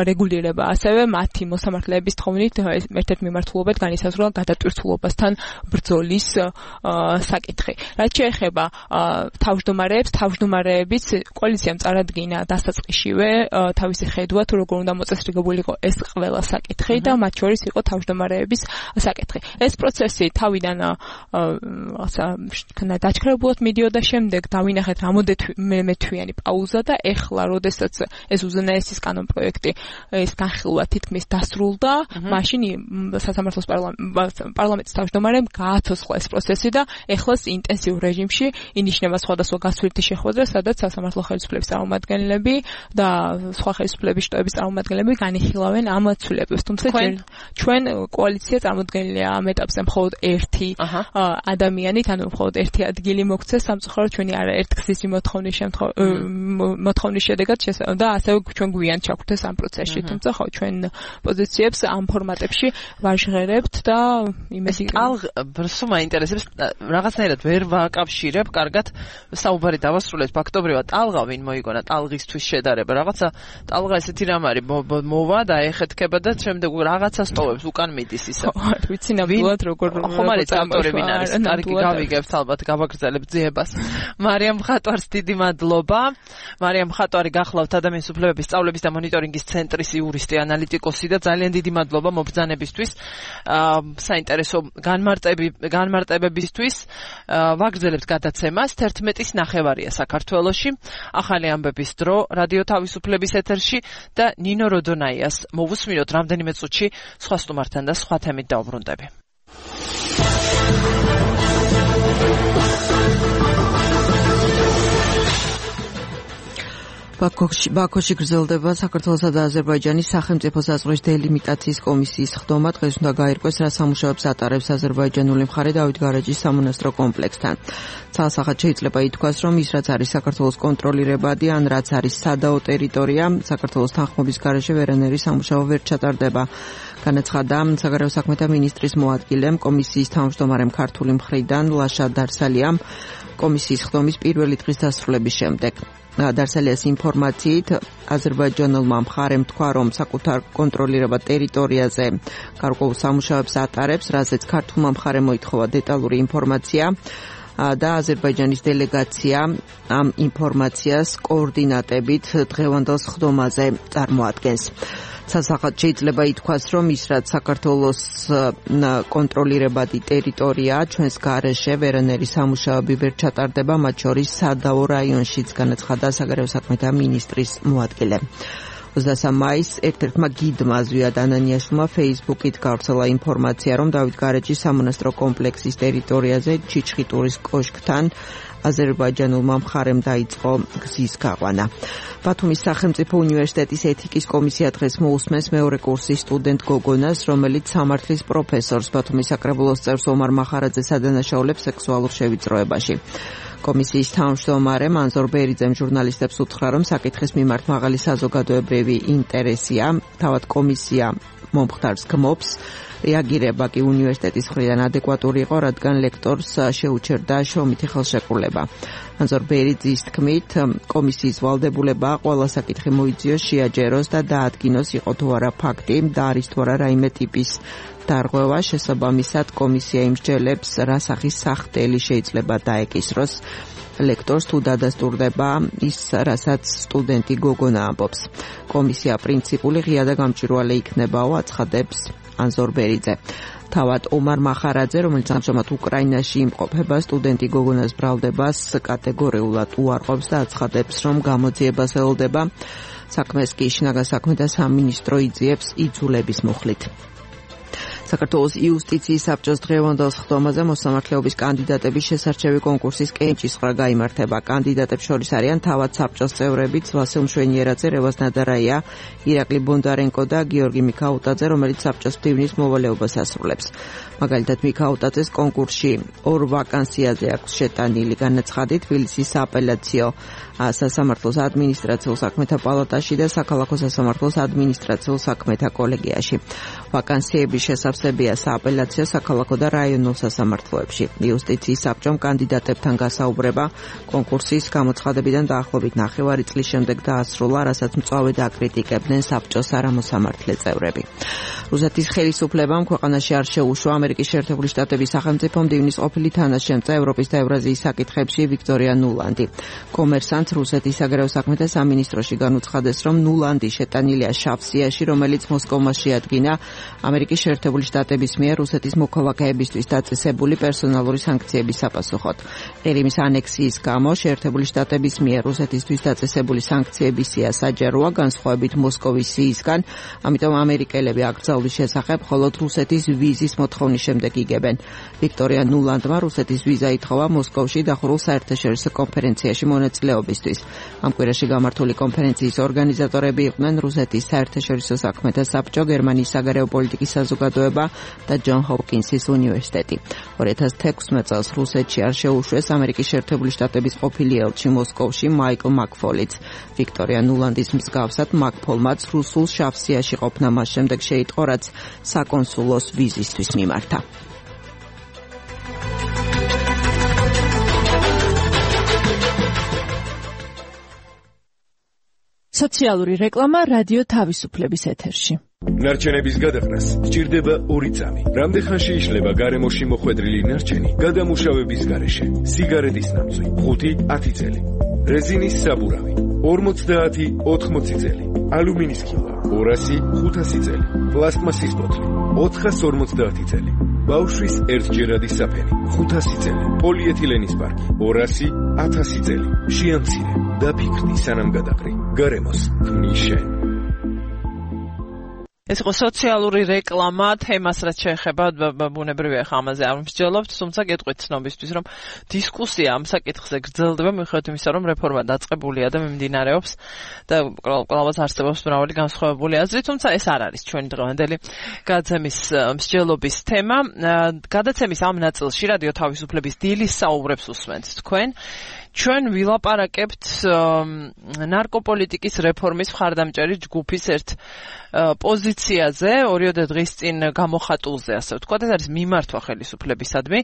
რეგულირება ასევე მათი მოსამართლეების თხოვნით ერთ-ერთ მიმართულობად განისაზღვრა გადატვირთულობასთან ბრძოლის საკითხი რაც შეეხება თავმჯდომარეებს თავმჯდომარეებიც კოალიციამ წარადგინა დასაწყისშივე თავისი ხედვა თუ როგორ უნდა მოწესრიგებულიყო ეს ყველა საკითხი და მათ შორის იყო თავმჯდომარეების საკითხი ეს პროცესი თავიდან გაჩქარებულად მიდიოდა შემდეგ დავინახეთ რამოდენმეტვიანი პაუზა და ეხლა როდესაც ეს უზენაესის კანონ პროექტი ეს განხილვა თითქმის დასრულდა, მაშინ სასამართლოს პარლამენტის თავმჯდომარემ გააცოცხლა ეს პროცესი და ეხლა ინტენსიურ რეჟიმში ინიშნება სხვადასხვა გასვლითი შეხვედრა, სადაც სასამართლო ხელისუფლების წარმომადგენლები და სხვა ხელისუფლების შტოების წარმომადგენლები განიხილავენ ამ ცვლილებებს. თუმცა ჩვენ კოალიცია წარმოდგენილია ამ ეტაპზე მხოლოდ ერთი ადამიანით, ანუ მხოლოდ ერთი ადგილი მოქცეს სამწუხაროდ ჩვენი არაერთგზის მოთხოვნის მოთხოვნის შედეგად და ასევე ჩვენ გვიან ჩაგვდეს ამ პროცესში. თუმცა ხო ჩვენ პოზიციებს ამ ფორმატებში ვაჟღერებთ და იმედი ბრსო მაინტერესებს რაღაცნაირად ვერ ვაკავშირებ კარგად საუბარი დავასრულეთ ფაქტობრივად ტალღა ვინ მოიგონა ტალღისთვის შედარება რაღაცა ტალღა ესეთი რამ არის მოვა და ეხეთქება და შემდეგ რაღაცა სტოვებს უკან მიდის ისა ვიცი ნამდვილად როგორ ხომ არის ავტორი ვინ არის კარგი გავიგებთ ალბათ გავაგრძელებთ ძიებას მარიამ ხატვარს დიდი მადლობა მარიამ ხატვარი გახლავთ ადამიანის უფლებების სწავლების და მონიტორინგის ცენტრის იურისტი ანალიტიკოსი და ძალიან დიდი მადლობა მობრძანებისთვის საინტერესო განმარტები განმარტებებისთვის ვაგრძელებთ გადაცემას თერთმეტის ნახევარია საქართველოში ახალი ამბების დრო რადიო თავისუფლების ეთერში და ნინო როდონაიას მოვუსმინოთ რამდენიმე წუთში სხვა სტუმართან და სხვა თემით დავბრუნდები. ბაქოში ბაქოში გრძელდება საქართველოსა და აზერბაიჯანის სახელმწიფო საზღვრის დელიმიტაციის კომისიის ხდომა. დღეს უნდა გაირკვეს რა სამუშაოებს ატარებს აზერბაიჯანული მხარე დავით გარეჯის სამონასტრო კომპლექსთან. ცალსახად შეიძლება ითქვას, რომ ის რაც არის საქართველოს კონტროლირებადი, ან რაც არის სადაო ტერიტორია, საქართველოს თანხმობის გარეშე ვერანაირი სამუშაო ვერ ჩატარდება. განაცხადა საგარეო საქმეთა მინისტრის მოადგილემ კომისიის თავმჯდომარემ ქართული მხრიდან ლაშა დარსალიამ კომისიის ხდომის პირველი დღის დასრულების შემდეგ. დარსალიას ინფორმაციით აზერბაიჯანულმა მხარემ თქვა, რომ საკუთარ კონტროლირებად ტერიტორიაზე გარკვეულ სამუშაოებს ატარებს, რაზეც ქართულმა მხარემ მოითხოვა დეტალური ინფორმაცია და აზერბაიჯანის დელეგაცია ამ ინფორმაციას კოორდინატებით დღევანდელ ხდომაზე წარმოადგენს. სასახად შეიძლება ითქვას, რომ ის რაც საქართველოს კონტროლირებადი ტერიტორია ჩვენს გარეშე ვერანაირი სამუშაოები ვერ ჩატარდება, მათ შორის სადაო რაიონშიც, განაცხადა საგარეო საქმეთა მინისტრის მოადგილე. ოცდამეცე მაისს ერთ-ერთმა გიდმა ზვიად ანანიაშვილმა Facebook-ით გავრცელა ინფორმაცია, რომ დავით გარეჯის სამონასტრო კომპლექსის ტერიტორიაზე ჩიჩხიტურის კოშკთან აზერბაიჯანულმა მხარემ დაიწყო გზის გაყვანა. ბათუმის სახელმწიფო უნივერსიტეტის ეთიკის კომისია დღეს მოусმენს მეორე კურსის სტუდენტ გოგონას, რომელიც სამართლის პროფესორს ბათუმის საკრებულოს წევრს ომარ მახარაძეს ადანაშაულებს სექსუალურ შევიწროებაში. კომისიის თავმჯდომარემ ანზორ ბერიძემ ჟურნალისტებს უთხრა, რომ საკითხის მიმართ მაღალი საზოგადოებრივი ინტერესია, თავად კომისია მომხდარს გმობს. რეაგირება კი უნივერსიტეტის მხრიდან ადეკვატური იყო, რადგან ლექტორს შეუჩერდა შრომითი ხელშეკრულება. ანზორ ბერიძის თქმით, კომისიის ვალდებულება ყველა საკითხი მოიძიოს, შეაჯეროს და დაადგინოს იყო თუ არა ფაქტი და არის თუ არა რაიმე ტიპის დარღვევა. შესაბამისად, კომისია იმსჯელებს, რა სახის სახდელი შეიძლება დაეკისროს ლექტორს თუ დადასტურდება ის, რასაც სტუდენტი გოგონა ამბობს. კომისია პრინციპული, ღია და გამჭვირვალე იქნებაო, აცხადებს ანზორ ბერიძე. თავად ომარ მახარაძე, რომელიც ამჟამად უკრაინაში იმყოფება, სტუდენტი გოგონას ბრალდებას კატეგორიულად უარყოფს და აცხადებს, რომ გამოძიებას ელოდება. საქმეს კი შინაგან საქმეთა სამინისტრო იძიებს იძულების მუხლით. საქართველოს იუსტიციის საბჭოს დღევანდელ ხდომაზე მოსამართლეობის კანდიდატების შესარჩევი კონკურსის კენჭისყრა გაიმართება. კანდიდატებს შორის არიან თავად საბჭოს წევრებიც ვასილ მშვენიერაძე, რევაზ ნადარაია, ირაკლი ბონდარენკო და გიორგი მიქაუტაძე, რომელიც საბჭოს მდივნის მოვალეობას ასრულებს. მაგალითად, მიქაუტაძეს კონკურსში ორ ვაკანსიაზე აქვს შეტანილი განაცხადი თბილისის სააპელაციო სასამართლოს ადმინისტრაციულ საქმეთა პალატაში და საქალაქო სასამართლოს ადმინისტრაციულ საქმეთა კოლეგიაში. ვაკანსიების შესავსებია სააპელაციო, საქალაქო და რაიონულ სასამართლოებში. იუსტიციის საბჭომ კანდიდატებთან გასაუბრება კონკურსის გამოცხადებიდან დაახლოებით ნახევარი წლის შემდეგ დაასრულა, რასაც მწვავედ აკრიტიკებდნენ საბჭოს არამოსამართლე წევრები. რუსეთის ხელისუფლებამ ქვეყანაში არ შეუშვა ამერიკის შეერთებული შტატების სახელმწიფო მდივნის ყოფილი თანაშემწე ევროპის და ევრაზიის საკითხებში ვიქტორია ნულანდი. კომერსანტ რუსეთის საგარეო საქმეთა სამინისტროში განუცხადეს, რომ ნულანდი შეტანილია შავ სიაში, რომელიც მოსკოვმა შეადგინა ამერიკის შეერთებული შტატების მიერ რუსეთის მოქალაქეებისთვის დაწესებული პერსონალური სანქციების საპასუხოდ. ყირიმის ანექსიის გამო შეერთებული შტატების მიერ რუსეთისთვის დაწესებული სანქციების სია საჯაროა, განსხვავებით მოსკოვის სიისგან, ამიტომ ამერიკელები აკრძალვის შესახებ მხოლოდ რუსეთის ვიზის მოთხოვნის შემდეგ იგებენ. ვიქტორია ნულანდმა რუსეთის ვიზა ითხოვა მოსკოვში დახურულ საერთაშორისო კონფერენციაში მონაწილეობისთვის. ამ კვირაში გამართული კონფერენციის ორგანიზატორები იყვნენ რუსეთის საერთაშორისო საქმეთა საბჭო, გერმანიის საგარეო პოლიტიკის საზოგადოება და ჯონ ჰოპკინსის უნივერსიტეტი. ორი ათას თექვსმეტ წელს რუსეთში არ შეუშვეს ამერიკის შეერთებული შტატების ყოფილი ელჩი მოსკოვში მაიკლ მაკფოლიც. ვიქტორია ნულანდის მსგავსად მაკფოლმაც რუსულ შავსიაში ყოფნა მას შემდეგ შეიტყო, რაც საკონსულოს ვიზისთვის მიმართა. სოციალური რეკლამა რადიო თავისუფლების ეთერში. ნარჩენების გადაყრას სჭირდება ორი წამი. რამდენ ხანში იშლება გარემოში მოხვედრილი ნარჩენი გადამუშავების გარეშე? სიგარეტის ნამწვი ხუთი ათი წელი, რეზინის საბურავი ორმოცდაათი ოთხმოცი წელი, ალუმინის ქილა ორასი ხუთასი წელი, პლასტმასის ბოთლი ოთხას ორმოცდაათი წელი, ბავშვის ერთჯერადი საფენი ხუთასი წელი, პოლიეთილენის პარკი ორასი ათასი წელი. შეამცირე და ფიქრდი სანამ გადაყრი. გარემოს ქმნის შენ. ეს იყო სოციალური რეკლამა, თემას რაც შეეხება ბუნებრივია ხა ამაზე არ მსჯელობთ, თუმცა გეტყვით ცნობისთვის, რომ დისკუსია ამ საკითხზე გრძელდება, მიუხედავად იმისა, რომ რეფორმა დაწყებულია და მიმდინარეობს და ყველას არსებობს მრავალი განსხვავებული აზრი, თუმცა ეს არ არის ჩვენი დღევანდელი გადაცემის მსჯელობის თემა. გადაცემის ამ ნაწილში რადიო თავისუფლების დილის საუბრებს უსმენთ თქვენ. ჩვენ ვილაპარაკებთ ნარკოპოლიტიკის რეფორმის მხარდამჭერი ჯგუფის ერთ პოზიციაზე, ორიოდე დღის წინ გამოხატულზე, ასე ვთქვათ, ეს არის მიმართვა ხელისუფლებისადმი.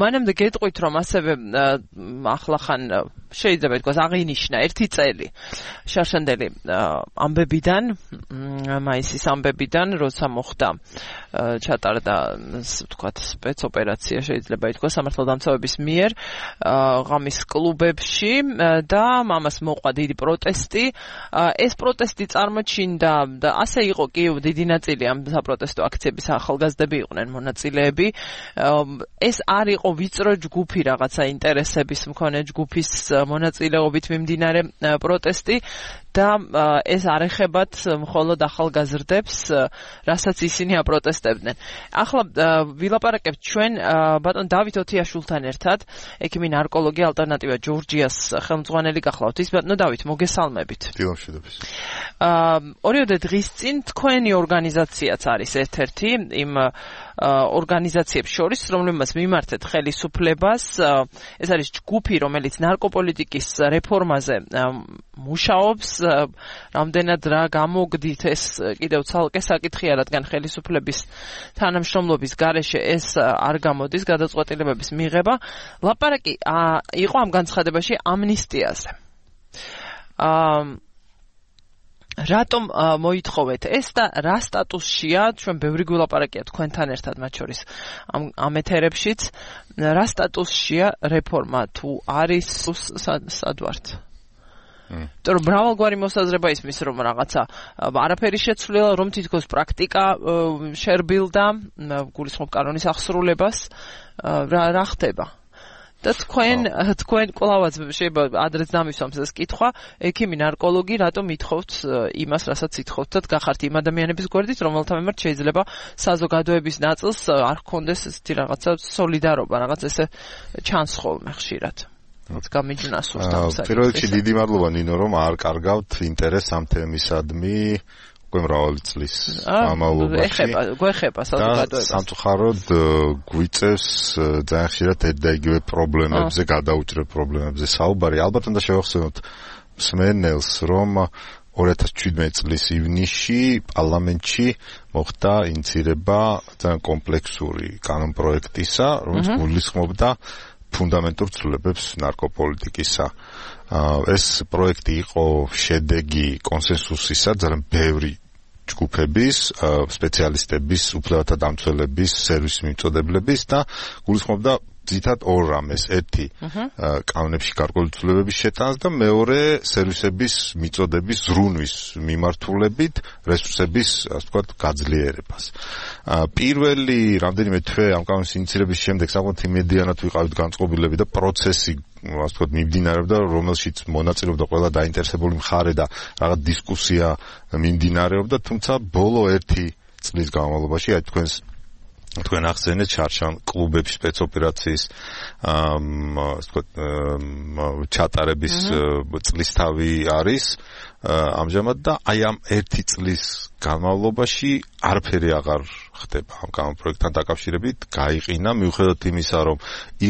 მანამდე გეტყვით, რომ ასევე ახლახან შეიძლება ითქვას აღინიშნა ერთი წელი შარშანდელი ამბებიდან, მაისის ამბებიდან, როცა მოხდა ჩატარდა, ვთქვათ, სპეცოპერაცია, შეიძლება ითქვას სამართალდამცავების მიერ ღამის კლუბებში და ამას მოყვა დიდი პროტესტი. ეს პროტესტი წარმოჩინდა და ასე იყო კი დიდი ნაწილი ამ საპროტესტო აქციების ახალგაზრდები იყვნენ მონაწილეები. ეს არ იყო ვიწრო ჯგუფი, რაღაცა ინტერესების მქონე ჯგუფის მონაწილეობით მიმდინარე პროტესტი და ეს არ ეხებათ მხოლოდ ახალგაზრდებს, რასაც ისინი აპროტესტებდნენ. ახლა ვილაპარაკებთ ჩვენ ბატონ დავით ოთიაშვილთან ერთად, ექიმი ნარკოლოგი ალტერნატივა ჯორჯიას ხელმძღვანელი გახლავთ. ის ბატონო დავით, მოგესალმებით. დილამშვიდობის. ორიოდე დღის წინ თქვენი ორგანიზაციაც არის ერთ-ერთი იმ ორგანიზაციებს შორის, რომლებმაც მიმართეთ ხელისუფლებას. ეს არის ჯგუფი, რომელიც ნარკოპოლიტიკის რეფორმაზე მუშაობს. რამდენად რა გამოგდით, ეს კიდევ ცალკე საკითხია, რადგან ხელისუფლების თანამშრომლობის გარეშე ეს არ გამოდის გადაწყვეტილებების მიღება. ლაპარაკი იყო ამ განცხადებაში ამნისტიაზე. აა რატომ მოითხოვეთ ეს და რა სტატუსშია, ჩვენ ბევრი გვილაპარაკია თქვენთან ერთად, მათ შორის ამ ამ ეთერებშიც, რა სტატუსშია რეფორმა, თუ არის სად ვართ? იმიტომ რომ მრავალგვარი მოსაზრება ისმის, რომ რაღაცა არაფერი შეცვლილა, რომ თითქოს პრაქტიკა შერბილდა, გულისხმობ კანონის აღსრულებას, რა ხდება? და თქვენ თქვენ კვლავაც შეიძლება ადრეც დამისვამს ეს კითხვა, ექიმი ნარკოლოგი, რატომ ითხოვთ იმას, რასაც ითხოვთ და გახართ იმ ადამიანების გვერდით, რომელთა მიმართ შეიძლება საზოგადოების ნაწილს არ ჰქონდეს ესეთი რაღაცა სოლიდარობა, რაღაც ესე ჩანს ხოლმე ხშირად. რაც გამიჯნას უსტავსა. პირველ რიგში დიდი მადლობა ნინო, რომ არ კარგავთ ინტერესს ამ თემისადმი. უკვე მრავალი წლის განმავლობაში. ეხება, გვეხება საზოგადოებას. სამწუხაროდ გვიწევს ძალიან ხშირად ერთ და იგივე პრობლემებზე, გადაუჭრელ პრობლემებზე საუბარი. ალბათ უნდა შევახსენოთ მსმენელს, რომ ორი ათას შვიდმეტი წლის ივნისში პარლამენტში მოხდა ინიცირება ძალიან კომპლექსური კანონპროექტისა, რომელიც გულისხმობდა ფუნდამენტურ ცვლილებებს ნარკოპოლიტიკისა. ეს პროექტი იყო შედეგი კონსენსუსისა ძალიან ბევრი ჯგუფების, სპეციალისტების, უფლებათა დამცველების, სერვისის მიმწოდებლების და გულისხმობდა ძირითადად ორ რამეს, ერთი კანონებში გარკვეული ცვლილებების შეტანას და მეორე სერვისების მიწოდების ზრუნვის მიმართულებით რესურსების, ასე ვთქვათ, გაძლიერებას. პირველი რამდენიმე თვე ამ კანონის ინიცირების შემდეგ საკმაოდ იმედიანად ვიყავით განწყობილები და პროცესი ასე ვთქვათ მიმდინარეობდა, რომელშიც მონაწილეობდა ყველა დაინტერესებული მხარე და რაღაც დისკუსია მიმდინარეობდა, თუმცა ბოლო ერთი წლის განმავლობაში აი თქვენს თქვენ ახსენეთ შარშან კლუბების სპეცოპერაციის ასე ვთქვათ ჩატარების წლისთავი არის ამჟამად და აი ამ ერთი წლის განმავლობაში არაფერი აღარ ხდება ამ კანონპროექტთან დაკავშირებით, გაიყინა მიუხედავად იმისა, რომ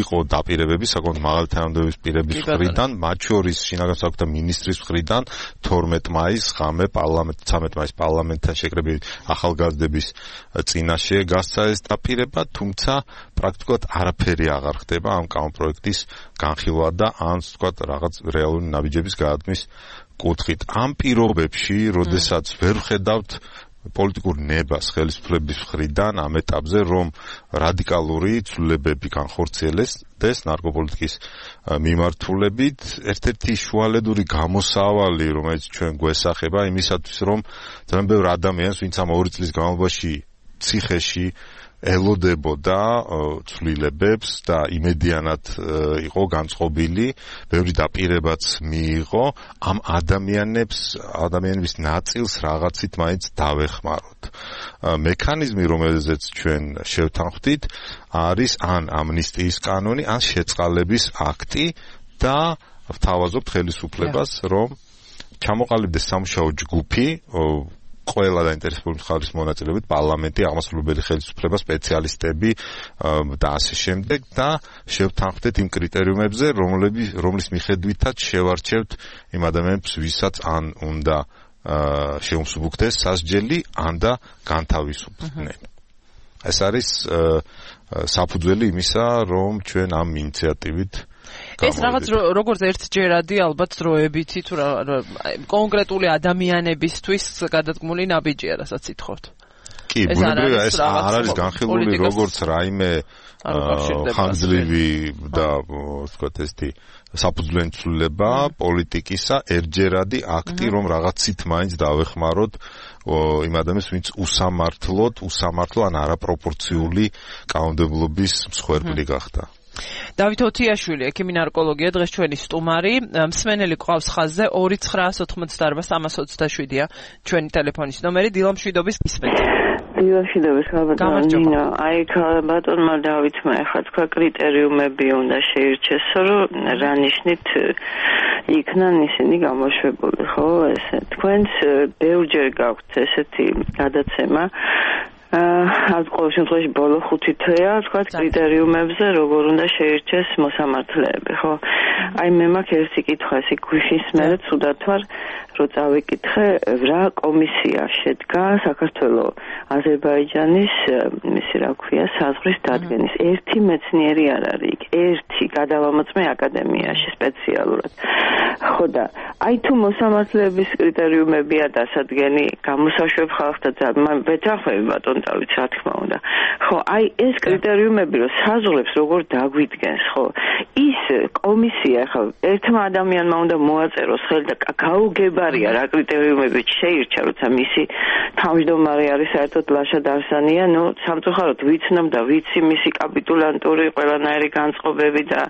იყო დაპირებები საკმაოდ მაღალი თანამდებობის პირების მხრიდან, მათ შორის შინაგან საქმეთა მინისტრის მხრიდან თორმეტ მაისს ღამე პარლამენტ ცამეტ მაისს პარლამენტთან შეკრებილი ახალგაზრდების წინაშე გასცა ეს დაპირება, თუმცა პრაქტიკულად არაფერი აღარ ხდება ამ კანონპროექტის განხილვა და ან ვთქვათ რაღაც რეალური ნაბიჯების გადადგმის კუთხით. ამ პირობებში, როდესაც ვერ ვხედავთ პოლიტიკურ ნებას ხელისუფლების მხრიდან ამ ეტაპზე, რომ რადიკალური ცვლილებები განხორციელდეს ნარკოპოლიტიკის მიმართულებით, ერთ-ერთი შუალედური გამოსავალი, რომელიც ჩვენ გვესახება იმისათვის, რომ ძალიან ბევრ ადამიანს, ვინც ამ ორი წლის განმავლობაში ციხეში ელოდებოდა ცვლილებებს და იმედიანად იყო განწყობილი, ბევრი დაპირებაც მიიღო, ამ ადამიანებს, ადამიანების ნაწილს რაღაცით მაინც დავეხმაროთ. მექანიზმი, რომელზეც ჩვენ შევთანხმდით, არის ან ამნისტიის კანონი, ან შეწყალების აქტი და ვთავაზობთ ხელისუფლებას, რომ ჩამოყალიბდეს სამუშაო ჯგუფი ყველა დაინტერესებული მხარის მონაწილეობით, პარლამენტი, აღმასრულებელი ხელისუფლება, სპეციალისტები და ასე შემდეგ და შევთანხმდეთ იმ კრიტერიუმებზე, რომლის მიხედვითაც შევარჩევთ იმ ადამიანებს, ვისაც ან უნდა შეუმსუბუქდეს სასჯელი, ან და განთავისუფლდნენ. ეს არის საფუძველი იმისა, რომ ჩვენ ამ ინიციატივით ეს რაღაც როგორც ერთჯერადი ალბათ დროებითი თუ კონკრეტული ადამიანებისთვის გადადგმული ნაბიჯია, რასაც ითხოვთ. კი, ბუნებრივია ეს არ არის განხილული როგორც რაიმე ხანგრძლივი და ვთქვათ ესეთი საფუძვლიანი ცვლილება პოლიტიკისა, ერთჯერადი აქტი, რომ რაღაცით მაინც დავეხმაროთ იმ ადამიანს, ვინც უსამართლოდ, უსამართლო ან არაპროპორციული კანონმდებლობის მსხვერპლი გახდა. დავით ოთიაშვილი, ექიმი ნარკოლოგია, დღეს ჩვენი სტუმარი. მსმენელი ყავს ხაზზე ორი ცხრაას ოცდაარბა სამას ოცდაშვიდია ჩვენი ტელეფონის ნომერი. დილამშვიდობის გისმენთ. დილამშვიდობის ხალბატონო. აი ხალბატონმა დავითმა ახლა თქვა კრიტერიუმები უნდა შეირჩეს, რომ რა ნიშნით იქნან ისინი გამოშვებული, ხო? ესე თქვენს ბევრჯერ გაქვთ ესეთი გადაცემა აა ყოველ შემთხვევაში ბოლო ხუთი თვეა თქვა კრიტერიუმებზე როგორ უნდა შეირჩეს მოსამართლეები, ხო? აი მე მაქვს ერთი კითხვა, ისე გვიხის მერე ცუდად ვარ, რომ წავიკითხე რა კომისია შედგა საქართველოს აზერბაიჯანის მისი რა ქვია საზღვრის დადგენის. ერთი მეცნიერი არ არის იქ, ერთი გადავამოწმე აკადემიაში სპეციალურად. ხო და აი თუ მოსამართლეების კრიტერიუმებია დასადგენი, გამოსაშვებ ხალხთა ძალიან ვეთანხმები ბატონ დავით, რა თქმა უნდა. ხო, აი ეს კრიტერიუმები რომ საზღვრებს როგორ დაგვიდგენს, ხო? ის კომისია ხა ერთმა ადამიანმა უნდა მოაწეროს ხელი და გაუგებარია რა კრიტერიუმები შეირჩა, როცა მისი თავმჯდომარე არის საერთოდ ლაშა დარსანია, ნუ სამწუხაროდ ვიცნობ და ვიცი მისი კაპიტულანტური ყველანაირი განწყობები და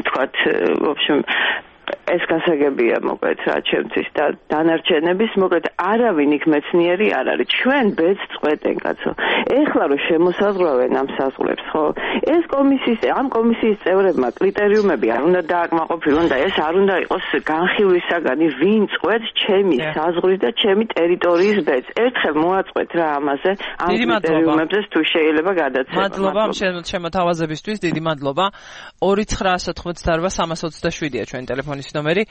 თქვათ, в общем ეს გასაგებია მოკლედ რა ჩემთვის და დანარჩენების მოკლედ არავინ იქ მეცნიერი არ არის. ჩვენ ბედს წყვეტენ კაცო. ეხლა რომ შემოსაზღვრავენ ამ საზღვრებს, ხო? ეს კომისიის ამ კომისიის წევრებმა კრიტერიუმები არ უნდა დააკმაყოფილონ და ეს არ უნდა იყოს განხილვისაგანი, ვინ წყვეტს ჩემი საზღვრის და ჩემი ტერიტორიის ბედს. ერთხელ მოაწყვეთ რა ამაზე, ამ კრიტერიუმებზე თუ შეიძლება გადაცემა. მადლობა შემოთავაზებისთვის, დიდი მადლობა. ორი ცხრაას ოცდაარბა სამას ოცდაშვიდია ჩვენი ტელეფონის ნომერი.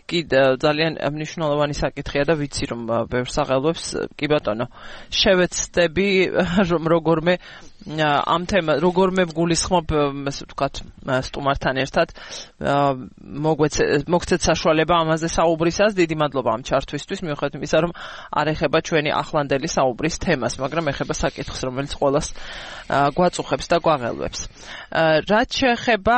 კი ძალიან მნიშვნელოვანი საკითხია და ვიცი რომ ბევრ საღელვებს კი ბატონო შევეცდები რომ როგორმე ამ თემა როგორ მე გულისხმობ ასე ვთქვათ სტუმართან ერთად მოგცეთ საშუალება ამაზე საუბრისას. დიდი მადლობა ამ ჩართვისთვის, მიუხედავად იმისა, რომ არ ეხება ჩვენი ახლანდელი საუბრის თემას, მაგრამ ეხება საკითხს, რომელიც ყველას გვაწუხებს და გვაღელვებს. რაც შეეხება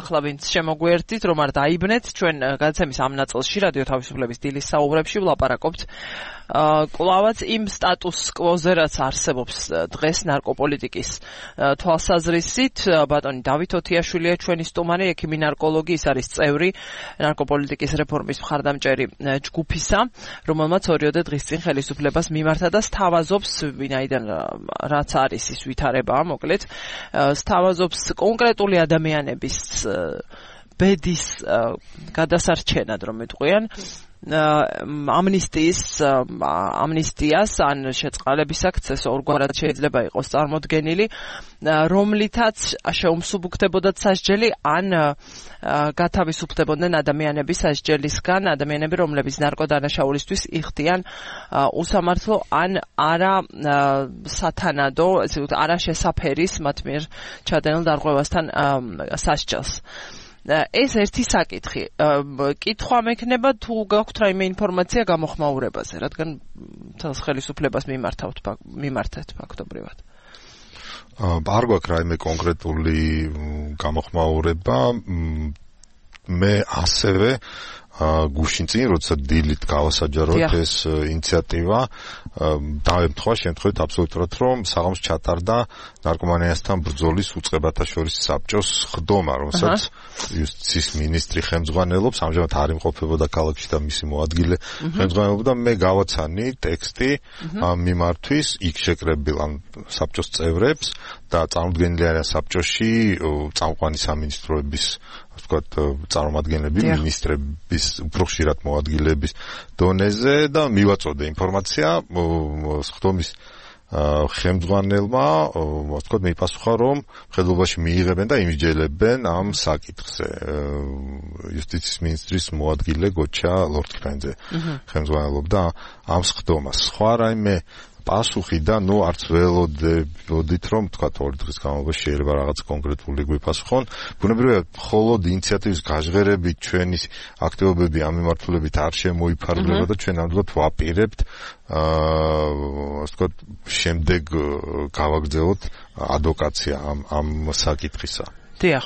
ახლა ვინც შემოგვიერთდით, რომ არ დაიბნეთ, ჩვენ გადაცემის ამ ნაწილში რადიო თავისუფლების დილის საუბრებში ვლაპარაკობთ კლავაც იმ სტატუს კვოზე, რაც არსებობს დღეს ნარკოპოლიტიკის თვალსაზრისით. ბატონი დავით ოთიაშვილია ჩვენი სტუმარი, ექიმი ნარკოლოგი, ის არის წევრი ნარკოპოლიტიკის რეფორმის მხარდამჭერი ჯგუფისა, რომელმაც ორიოდე დღის წინ ხელისუფლებას მიმართა და სთავაზობს, ვინაიდან რაც არის ის ვითარებაა, მოკლედ სთავაზობს კონკრეტული ადამიანების ბედის გადასარჩენად, რომ მეტყვიან ამნისტიის ამნისტიას ან შეწყალების აქცეს ორგვარად შეიძლება იყოს წარმოდგენილი, რომლითაც შეუმსუბუქდებოდათ სასჯელი ან გათავისუფლებოდნენ ადამიანები სასჯელისგან, ადამიანები, რომლებიც ნარკოდანაშაულისთვის იხდიან უსამართლო ან არა სათანადო, ესე ვთქვათ, არა შესაფერის მათ მიერ ჩადენილ დარღვევასთან სასჯელს. ეს ერთი საკითხი. კითხვა მექნება თუ გაქვთ რაიმე ინფორმაცია გამოხმაურებაზე, რადგან თავს ხელისუფლებას მიმართავთ მიმართეთ ფაქტობრივად. არ გვაქვს რაიმე კონკრეტული გამოხმაურება. მე ასევე გუშინ წინ, როცა დილით გავასაჯაროთ ეს ინიციატივა, დავემთხვა შემთხვევით აბსოლუტურად, რომ საღამოს ჩატარდა ნარკომანიასთან ბრძოლის უწყებათა შორის საბჭოს ხდომა, რომელსაც იუსტიციის მინისტრი ხელმძღვანელობს, ამჟამად არ იმყოფებოდა ქალაქში და მისი მოადგილე ხელმძღვანელობდა. მე გავაცანი ტექსტი ამ მიმართვის იქ შეკრებილ ამ საბჭოს წევრებს და წარმოდგენილი არის საბჭოში წამყვანი სამინისტროების ვთქვათ წარმომადგენლები, მინისტრების, უფრო ხშირად მოადგილეების დონეზე და მივაწოდე ინფორმაცია ხდომის ხელმძღვანელმა, ვთქვათ, მიპასუხა, რომ მხედველობაში მიიღებენ და იმსჯელებენ ამ საკითხზე. იუსტიციის მინისტრის მოადგილე გოჩა ლორთქიფანიძე ხელმძღვანელობდა ამ ხდომას. სხვა რაიმე პასუხი და ნუ არც ველოდებით, რომ თქვა ორი დღის განმავლობაში შეიძლება რაღაც კონკრეტული გვიპასუხონ. ბუნებრივია, მხოლოდ ინიციატივის გაჟღერებით ჩვენი აქტივობები ამ მიმართულებით არ შემოიფარგლება და ჩვენ ნამდვილად ვაპირებთ აა ასე ვთქვათ, შემდეგ გავაგრძელოთ ადვოკაცია ამ ამ საკითხისა. დიახ.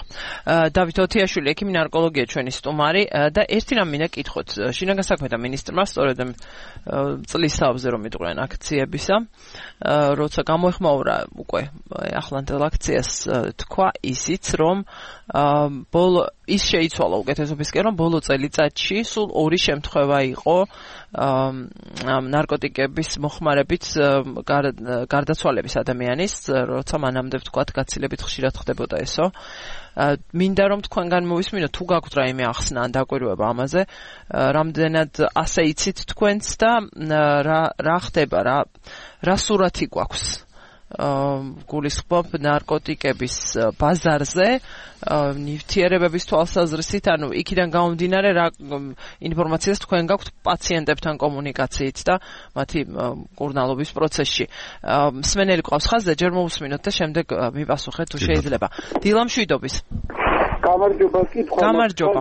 დავით ოთიაშვილი, ექიმი ნარკოლოგია ჩვენი სტუმარი და ერთი რამ მინდა კითხოთ. შინაგან საქმეთა მინისტრმა სწორედ წლის თავზე რომ იტყვიან აქციებისა, როცა გამოეხმაურა უკვე ახლანდელ აქციას, თქვა ისიც, რომ ბოლო ის შეიცვალა უკეთესობისკენ, რომ ბოლო წელიწადში სულ ორი შემთხვევა იყო ნარკოტიკების მოხმარებით გარდაცვალების ადამიანის, როცა მანამდე ვთქვათ, გაცილებით ხშირად ხდებოდა ესო. მინდა რომ თქვენგან მოვისმინო, თუ გაქვთ რაიმე ახსნა ან დაკვირვება ამაზე, რამდენად ასე იცით თქვენც და რა ხდება, რა რა სურათი გვაქვს გულისხმობ ნარკოტიკების ბაზარზე, ნივთიერებების თვალსაზრისით, ანუ იქიდან გამომდინარე რა ინფორმაციას თქვენ გაქვთ პაციენტებთან კომუნიკაციით და მათი კურნალობის პროცესში. მსმენელი ყავს ხაზზე, ჯერ მოვუსმინოთ და შემდეგ მიპასუხეთ თუ შეიძლება. დილა მშვიდობის. გამარჯობა, კითხვა. გამარჯობა.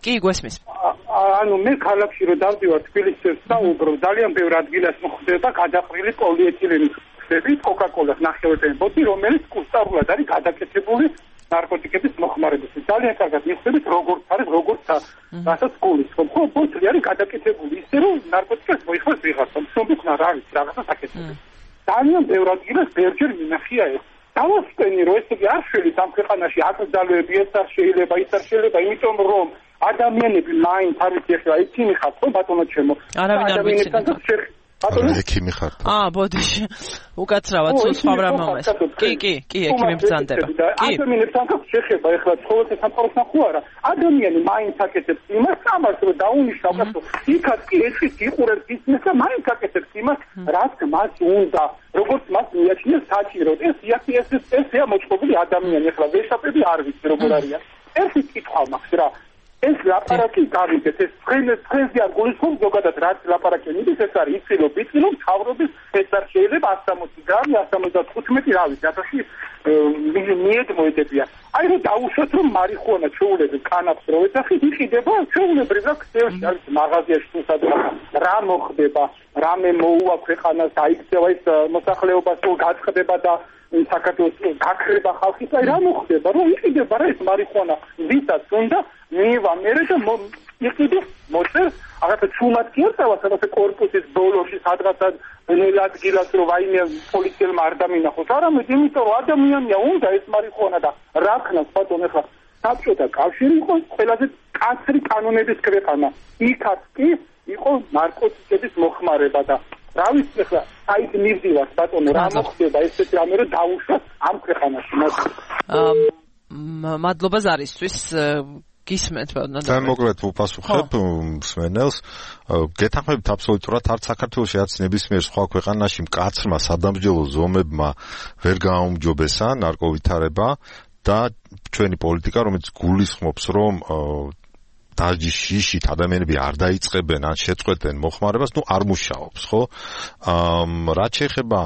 კი, გვესმის. ანუ მე ქალაქში რომ დავდივარ თბილისს და უბრალოდ ძალიან ბევრ ადგილას მოხდება გადაყრილი პოლიეთილენის კოკა-კოლას ნახევარწრიული ბოთლი, რომელიც კუსტარულად არის გადაკეთებული ნარკოტიკების მოხმარებისთვის. ძალიან კარგად მიხსენებთ, როგორც არის, როგორც რასაც გულისხმობ. ხო, ბოთლი არის გადაკეთებული ისე, რომ ნარკოტიკას მოიხმარს ვიღაცა. მშობინა რა არის, რაღაცა საკეთებს. ძალიან ბევრ ადგილას ბევრჯერ მინახია ეს. დავასწენი, რომ ესე იგი არ შევიდეთ ამ ქვეყანაში აკრძალვები, ეს არ შეიძლება, ის არ შეიძლება, იმიტომ რომ ადამიანები მაინც არის ახლა ექიმი ხართ, ხო ბატონო ჩემო. ადამიანებთან ბატონო ექიმი ხართ. აა, ბოდიში. უკაცრავად სულ სხვა რამომეს. კი, კი, კი, ექიმი ბრძანდება. კი. ადამიანებთან შეხება ახლა ცხოვრების სამყაროსთან ხო არა? ადამიანი მაინც აკეთებს იმას, ამას რომ დაუნიშნავ, გასო. იქაც კი ეჭვით იყურებს ისმის და მაინც აკეთებს იმას, რაც მას უნდა. როგორც მას მიაჩნია საჭიროდ. ეს იაკი ეს ესეა მოწყობილი ადამიანი, ახლა ვეშაპები არ ვიცი როგორ არიან. ერთი კითხვა მაქვს რა. ეს ლაპარაკი გავიგეთ, ეს თქვენ თქვენზე არ გულისხმობ ზოგადად რაც ლაპარაკი მიდის, ეს არის იცილო ბიცილო მთავრობის ეს არ შეიძლება one hundred გრამი, one hundred fifteen რავი, დათოში მიედ მოედებია. აი რომ დაუშვათ რომ მარიხუანა ჩვეულებრივ კანაფს რო ეძახით, იყიდება ჩვეულებრივ რა ქსელში არის მაღაზიაში თუ სადღაც რა მოხდება, რამე მოუვა ქვეყანას, აიქცევა ის მოსახლეობა თუ გაწყდება და საქართველოს გაქრება ხალხი, აი რა მოხდება, რომ იყიდება რა ეს მარიხუანა ვისაც უნდა მივა მერე და იყიდე მოწერ აღარც ჩუმად კი არ წავა სადაც კორპუსის ბოლოში სადღაც ნელ ადგილას რომ ვაიმე პოლიციელმა არ დამინახოს, არამედ იმიტომ რომ ადამიანია უნდა ეს მარიხუანა და რა ქნას ბატონო ახლა საბჭოთა კავშირი იყო ყველაზე კაცრი კანონების ქვეყანა. იქაც კი იყო ნარკოტიკების მოხმარება და რა ვიცი ახლა საით მივდივართ ბატონო რა მოხდება ესეთი რამე რომ დაუშვათ ამ ქვეყანაში. მადლობა ზარისთვის. გისმენთ ბატონო. და მოკლედ უპასუხებ მსმენელს. გეთანხმებით აბსოლუტურად არც საქართველოში არც ნებისმიერ სხვა ქვეყანაში მკაცრმა სადამსჯელო ზომებმა ვერ გააუმჯობესა ნარკოვითარება და ჩვენი პოლიტიკა რომელიც გულისხმობს რომ დაჯის შიშით ადამიანები არ დაიწყებენ ან შეწყვეტენ მოხმარებას, ნუ არ მუშაობს, ხო? აა რაც შეეხება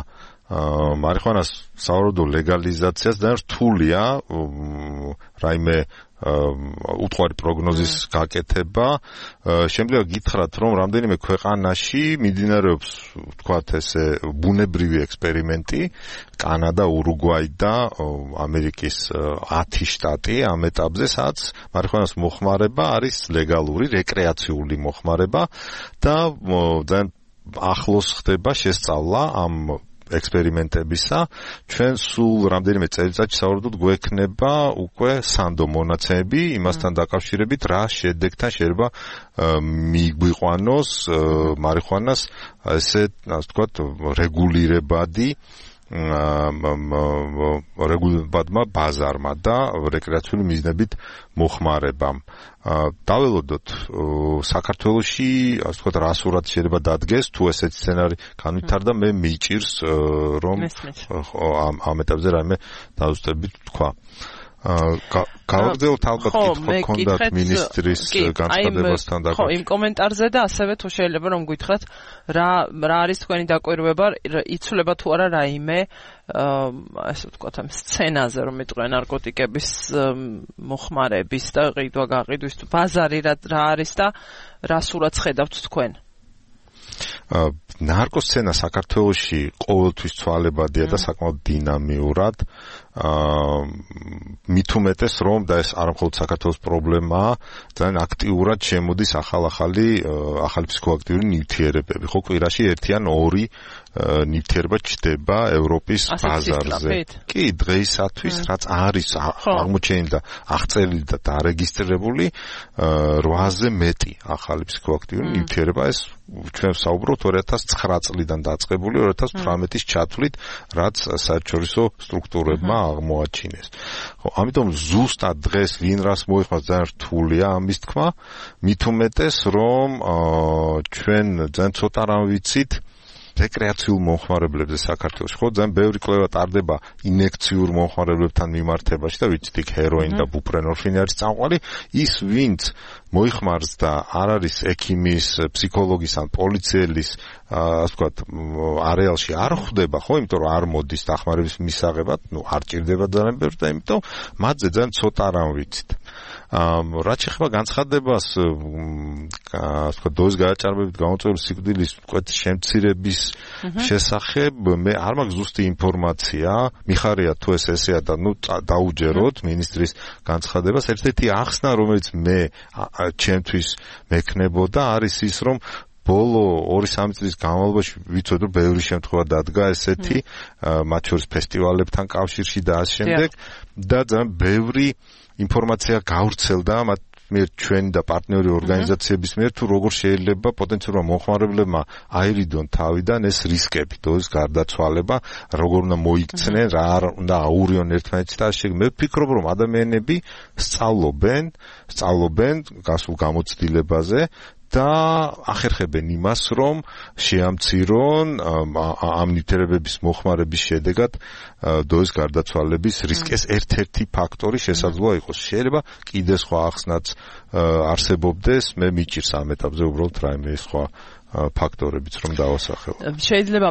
მარიხუანას სავარაუდო ლეგალიზაციას და რთულია რაიმე უთხარი პროგნოზის გაკეთება. შემდგომ გითხრათ რომ რამდენიმე ქვეყანაში მიმდინარეობს ვთქვათ ესე ბუნებრივი ექსპერიმენტი, კანადა, ურუგვაი და ამერიკის ათი შტატი ამ ეტაპზე, სადაც მარიხუანას მოხმარება არის ლეგალური, რეკრეაციული მოხმარება და ძალიან ახლოს ხდება შესწავლა ამ ექსპერიმენტებისა. ჩვენ სულ რამდენიმე წელიწადში სავარაუდოდ გვექნება უკვე სანდო მონაცემები იმასთან დაკავშირებით რა შედეგთან შეიძლება მიგვიყვანოს მარიხუანას ესე ასე ვთქვათ რეგულირებადი რეგულირებადმა ბაზარმა და რეკრეაციული მიზნებით მოხმარებამ. დაველოდოთ საქართველოში ასე ვთქვათ რა სურათ შეიძლება დადგეს თუ ესეთი სცენარი განვითარდა, მე მიჭირს რომ ამ ეტაპზე რაიმე დაუწყებით თქვა. გავაგრძელოთ ალბათ კითხვა ჰქონდათ მინისტრის განცხადებასთან დაკავშირებით. ხო, იმ კომენტარზე და ასევე თუ შეიძლება რომ გითხრათ რა რა არის თქვენი დაკვირვება, იცვლება თუ არა რაიმე ასე ვთქვათ ამ სცენაზე რომ მეტყვი ნარკოტიკების მოხმარების და ყიდვა-გაყიდვის ბაზარი რა არის და რა სურათს ხედავთ თქვენ? ნარკოსცენა საქართველოში ყოველთვის ცვალებადია და საკმაოდ დინამიურად. მით უმეტეს რომ და ეს არა მხოლოდ საქართველოს პრობლემაა, ძალიან აქტიურად შემოდის ახალ-ახალი ახალი ფსიქოაქტიური ნივთიერებები. ხო, კვირაში ერთი ან ორი ნივთიერება ჩდება ევროპის ბაზარზე. კი, დღეისათვის რაც არის აღმოჩენილი და აღწერილი და დარეგისტრირებული რვაზე მეტი ახალი ფსიქოაქტიური ნივთიერება. ეს ჩვენ საუბრობთ ორი ათას ცხრა წლიდან დაწყებული ორი ათას თვრამეტის ჩათვლით, რაც საერთაშორისო სტრუქტურებმა აღმოაჩინეს. ხო, ამიტომ ზუსტად დღეს ვინ რას მოიხმარს ძალიან რთულია ამის თქმა, მით უმეტეს რომ ჩვენ ძალიან ცოტა რამ ვიცით რეკრეაციულ მომხმარებლებზე საქართველოში. ხო, ძალიან ბევრი კვლევა ტარდება ინექციურ მომხმარებლებთან მიმართებაში და ვიცით იქ ჰეროინი და ბუფრენორფინი არის წამყვანი. ის ვინც მოიხმარს და არ არის ექიმის, ფსიქოლოგის ან პოლიციელის ასე ვთქვათ არეალში არ ხვდება, ხო, იმიტომ რომ არ მოდის დახმარების მისაღებად, ნუ არ ჭირდება ძალიან ბევრი და იმიტომ მათზე ძალიან ცოტა რამ ვიცით. რაც შეეხება განცხადებას ასე ვთქვათ დოზის გადაჭარბებით გამოწვეული სიკვდილის ვთქვათ შემცირების შესახებ, მე არ მაქვს ზუსტი ინფორმაცია, მიხარია თუ ეს ესეა და ნუ დაუჯეროთ მინისტრის განცხადებას. ერთ-ერთი ახსნა რომელიც მე ჩემთვის მექნებოდა არის ის რომ ბოლო ორი სამი წლის განმავლობაში ვიცოდ რომ ბევრი შემთხვევა დადგა ესეთი მათ შორის ფესტივალებთან კავშირში და ამ შემდეგ და ძალიან ბევრი ინფორმაცია გავრცელდა მათ მიერ ჩვენი და პარტნიორი ორგანიზაციების მიერ თუ როგორ შეიძლება პოტენციალურმა მომხმარებლებმა აირიდონ თავიდან ეს რისკები, დოზის გარდაცვალება, როგორ უნდა მოიქცნენ, რა უნდა აურიონ ერთმანეთს და ასე. მე ვფიქრობ რომ ადამიანები სწავლობენ, სწავლობენ გასულ გამოცდილებაზე და ახერხებენ იმას, რომ შეამცირონ ამ ნივთიერებების მოხმარების შედეგად დოის გარდაცვალების რისკის ერთ-ერთი ფაქტორი შესაძლოა იყოს. შეიძლება კიდე სხვა ახსნაც არსებობდეს, მე მიჭირს ამ ეტაპზე უბრალოდ რაიმე სხვა ფაქტორებიც რომ დავასახელო. შეიძლება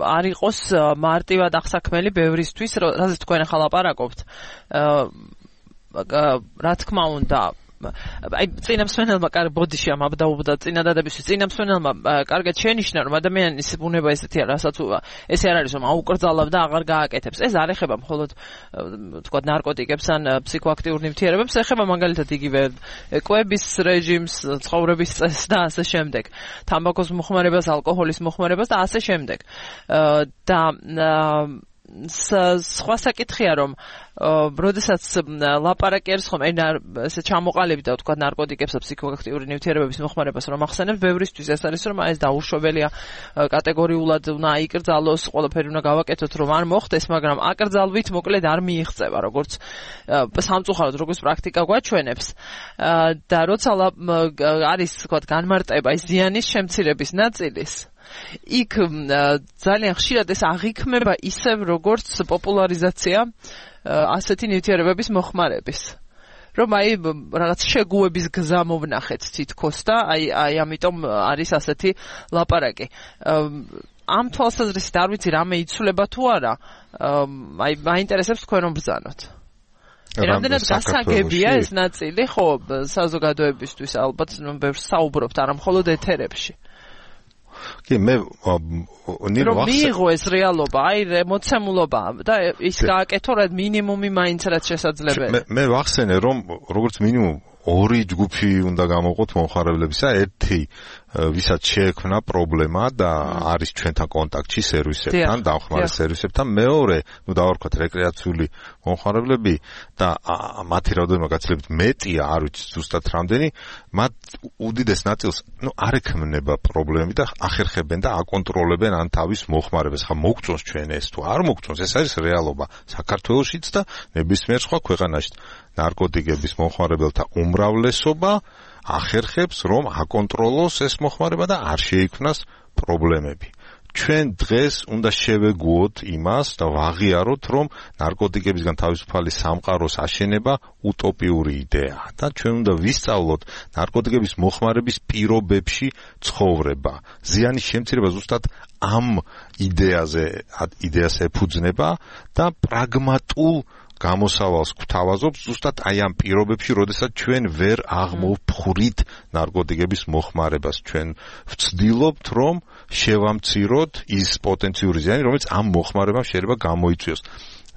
არ იყოს მარტივად აღსაქმელი ბევრისთვის, რაზეც თქვენ ახლა ლაპარაკობთ. რა თქმა უნდა, აი წინამსვენელმა კარგ ბოდიში ამ აბდაუბდა წინადადებისთვის წინამსვენელმა კარგად შენიშნა რომ ადამიანის ბუნება ესეთია, რასაც ესე არ არის რომ აუკრძალავ და აღარ გააკეთებს. ეს არ ეხება მხოლოდ თქვა ნარკოტიკებს ან ფსიქოაქტიურ ნივთიერებებს, ეხება მაგალითად იგივე კვების რეჟიმს, ცხოვრების წესს და ასე შემდეგ. თამბაქოს მოხმარებას, ალკოჰოლის მოხმარებას და ასე შემდეგ. და სხვა საკითხია რომ როდესაც ლაპარაკი არის ხომ ესე ჩამოყალიბდა და თქვა ნარკოტიკებს და ფსიქოაქტიური ნივთიერებების მოხმარებას რომ ახსენებ, ბევრისთვის ეს არის რომ ეს დაუშვებელია კატეგორიულად უნდა აიკრძალოს, ყველაფერი უნდა გავაკეთოთ რომ არ მოხდეს, მაგრამ აკრძალვით მოკლედ არ მიიღწევა როგორც სამწუხაროდ როგორც პრაქტიკა გვაჩვენებს. და როცა არის თქვა განმარტება ის ზიანის შემცირების ნაწილის, იქ ძალიან ხშირად ეს აღიქმება ისევ როგორც პოპულარიზაცია ასეთი ნივთიერებების მოხმარების. რომ აი რაღაც შეგუების გზა მოვნახეთ თითქოს და აი აი ამიტომ არის ასეთი ლაპარაკი. ამ თვალსაზრისით არ ვიცი რამე იცვლება თუ არა, აი მაინტერესებს თქვენ რომ ბრძანოთ. რამდენად გასაგებია ეს ნაწილი, ხო, საზოგადოებისთვის ალბათ ბევრს საუბრობთ, არა მხოლოდ ეთერებში. კი მე ნირო ახსენე რომ მიიღო ეს რეალობა, აი მოცემულობა და ის გააკეთო რა მინიმუმი მაინც რაც შესაძლებელია. მე მე ვახსენე რომ როგორც მინიმუმ ორი ჯგუფი უნდა გამოვყოთ მომხმარებლებისა, ერთი ვისაც შეექმნა პრობლემა და არის ჩვენთან კონტაქტში სერვისებთან, დამხმარე სერვისებთან, მეორე, ну დავარქვათ რეკრეაციული მომხმარებლები და მათი რაოდენობა გაცილებით მეტია, არ ვიცი ზუსტად რამდენი, მათ უდიდეს ნაწილს, ну არ ექმნება პრობლემები და ახერხებენ და აკონტროლებენ ან თავის მოხმარებას. ხა მოგწონს ჩვენ ეს თუ არ მოგწონს, ეს არის რეალობა საქართველოშიც და ნებისმიერ სხვა ქვეყანაში. ნარკოტიკების მოხმარებელთა უმრავლესობა ახერხებს რომ აკონტროლოს ეს მოხმარება და არ შეიქმნას პრობლემები. ჩვენ დღეს უნდა შევეგუოთ იმას და ვაღიაროთ რომ ნარკოტიკებისგან თავისუფალი სამყაროს აშენება უტოპიური იდეაა და ჩვენ უნდა ვისწავლოთ ნარკოტიკების მოხმარების პირობებში ცხოვრება. ზიანის შემცირება ზუსტად ამ იდეაზე იდეას ეფუძნება და პრაგმატულ გამოსავალს გვთავაზობს ზუსტად აი ამ პირობებში, როდესაც ჩვენ ვერ აღმოვფხვრით ნარკოტიკების მოხმარებას. ჩვენ ვცდილობთ, რომ შევამციროთ ის პოტენციური ზიანი, რომელიც ამ მოხმარებამ შეიძლება გამოიწვიოს.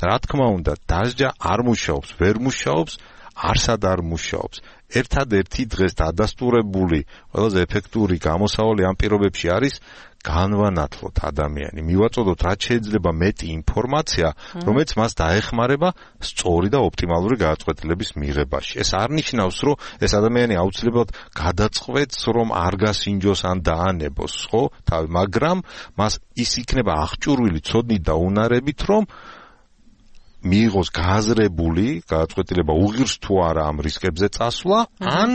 რა თქმა უნდა, დასჯა არ მუშაობს, ვერ მუშაობს, არსად არ მუშაობს. ერთადერთი დღეს დადასტურებული, ყველაზე ეფექტური გამოსავალი ამ პირობებში არის განვანათლოთ ადამიანი, მივაწოდოთ რაც შეიძლება მეტი ინფორმაცია, რომელიც მას დაეხმარება სწორი და ოპტიმალური გადაწყვეტილების მიღებაში. ეს არ ნიშნავს, რომ ეს ადამიანი აუცილებლად გადაწყვეტს, რომ არ გასინჯოს ან დაანებოს, ხო? მაგრამ მას ის იქნება აღჭურვილი ცოდნით და უნარებით, რომ მიიღოს გააზრებული გადაწყვეტილება უღირს თუ არა ამ რისკებზე წასვლა, ან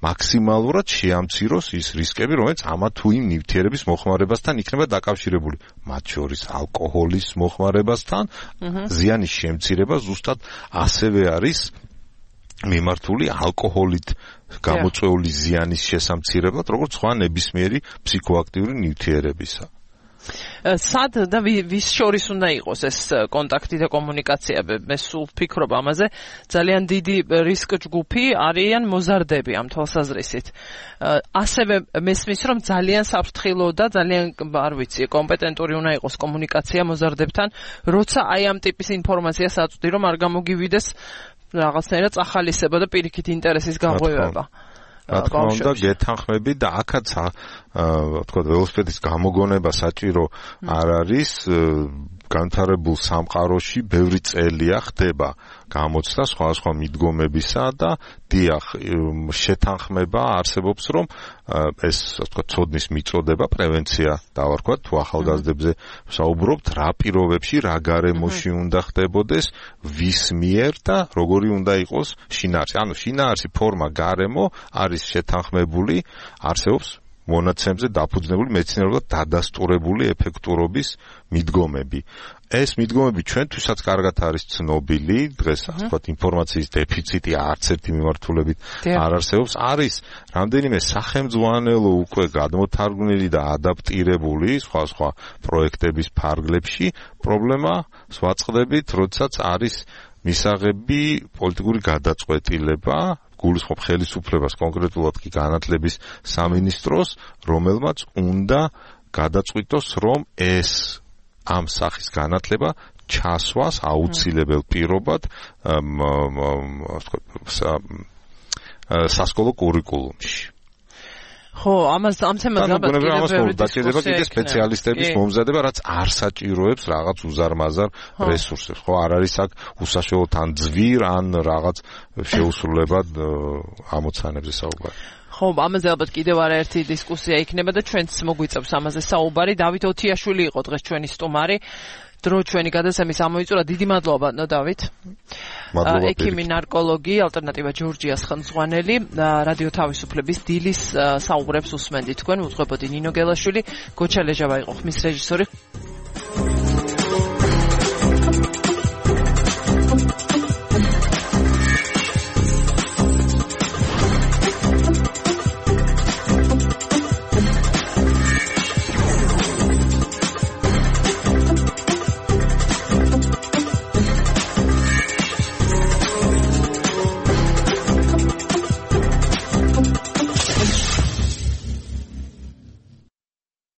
მაქსიმალურად შეამციროს ის რისკები, რომელიც ამა თუ იმ ნივთიერების მოხმარებასთან იქნება დაკავშირებული, მათ შორის ალკოჰოლის მოხმარებასთან. ზიანის შემცირება ზუსტად ასევე არის მიმართული ალკოჰოლით გამოწვეული ზიანის შესამცირებლად, როგორც სხვა ნებისმიერი ფსიქოაქტიური ნივთიერებისა. სად და ვის შორის უნდა იყოს ეს კონტაქტი და კომუნიკაცია? მე სულ ვფიქრობ ამაზე. ძალიან დიდი რისკ ჯგუფი არიან მოზარდები ამ თვალსაზრისით. ასევე მესმის რომ ძალიან საფრთხილო და ძალიან არ ვიცი კომპეტენტური უნდა იყოს კომუნიკაცია მოზარდებთან, როცა აი ამ ტიპის ინფორმაციას აწვდი რომ არ გამოგივიდეს რაღაცნაირად წახალისება და პირიქით ინტერესის გაღვივება. რა თქმა უნდა, გეთანხმები და აქაც თქვა ველოსიპედის გამოგონება საჭირო არ არის განვითარებულ სამყაროში ბევრი წელია ხდება გამოცდა სხვადასხვა მიდგომებისა და დიახ შეთანხმება არსებობს რომ ეს თქვა ცოდნის მიწოდება პრევენცია დავარქვათ თუ ახალგაზრდებზე ვსაუბრობთ რა პირობებში რა გარემოში უნდა ხდებოდეს ვის მიერ და როგორი უნდა იყოს შინაარსი ანუ შინაარსი ფორმა გარემო არის შეთანხმებული არსებობს მონაცემზე დაფუძნებული მეცნიერულად დადასტურებული ეფექტურობის მიდგომები. ეს მიდგომები ჩვენთვისაც კარგად არის ცნობილი, დღეს ასე ვთქვათ, ინფორმაციის დეფიციტი არც ერთი მიმართულებით არ არსებობს. არის რამდენიმე სახელმძღვანელო უკვე გადმოთარგმნილი და ადაპტირებული სხვა-სხვა პროექტების ფარგლებში. პრობლემა ვაწყდებით, როდესაც არის მისაღები პოლიტიკური გადაწყვეტილება გულისხმობ ხელისუფლებას კონკრეტულად კი განათლების სამინისტროს, რომელმაც უნდა გადაწყვიტოს, რომ ეს ამ სახის განათლება ჩასვას აუცილებელ პირობად სასკოლო კურიკულუმში. ხო, ამას ამ თემას ალბათ კიდევ დაჭირდება კიდე სპეციალისტების მომზადება, რაც არ საჭიროებს რაღაც უზარმაზარ რესურსებს. ხო, არ არის აქ უსაშუალო თან ძვირ ან რაღაც შეუსრულებად ამოცანებზე საუბარი. ხო, ამაზე ალბათ კიდევ არაერთი დისკუსია იქნება და ჩვენც მოგვიწევს ამაზე საუბარი. დავით ოთიაშვილი იყო დღეს ჩვენი სტუმარი. დრო ჩვენი გადაცემის ამოიწურა. დიდი მადლობა, ნო დავით. ექიმი ნარკოლოგი, ალტერნატივა ჯორჯიას ხელმძღვანელი, რადიო თავისუფლების დილის საუბრებს უსმენდით თქვენ, უძღვებოდი ნინო გელაშვილი, გოჩა ლეჟავა იყო ხმის რეჟისორი.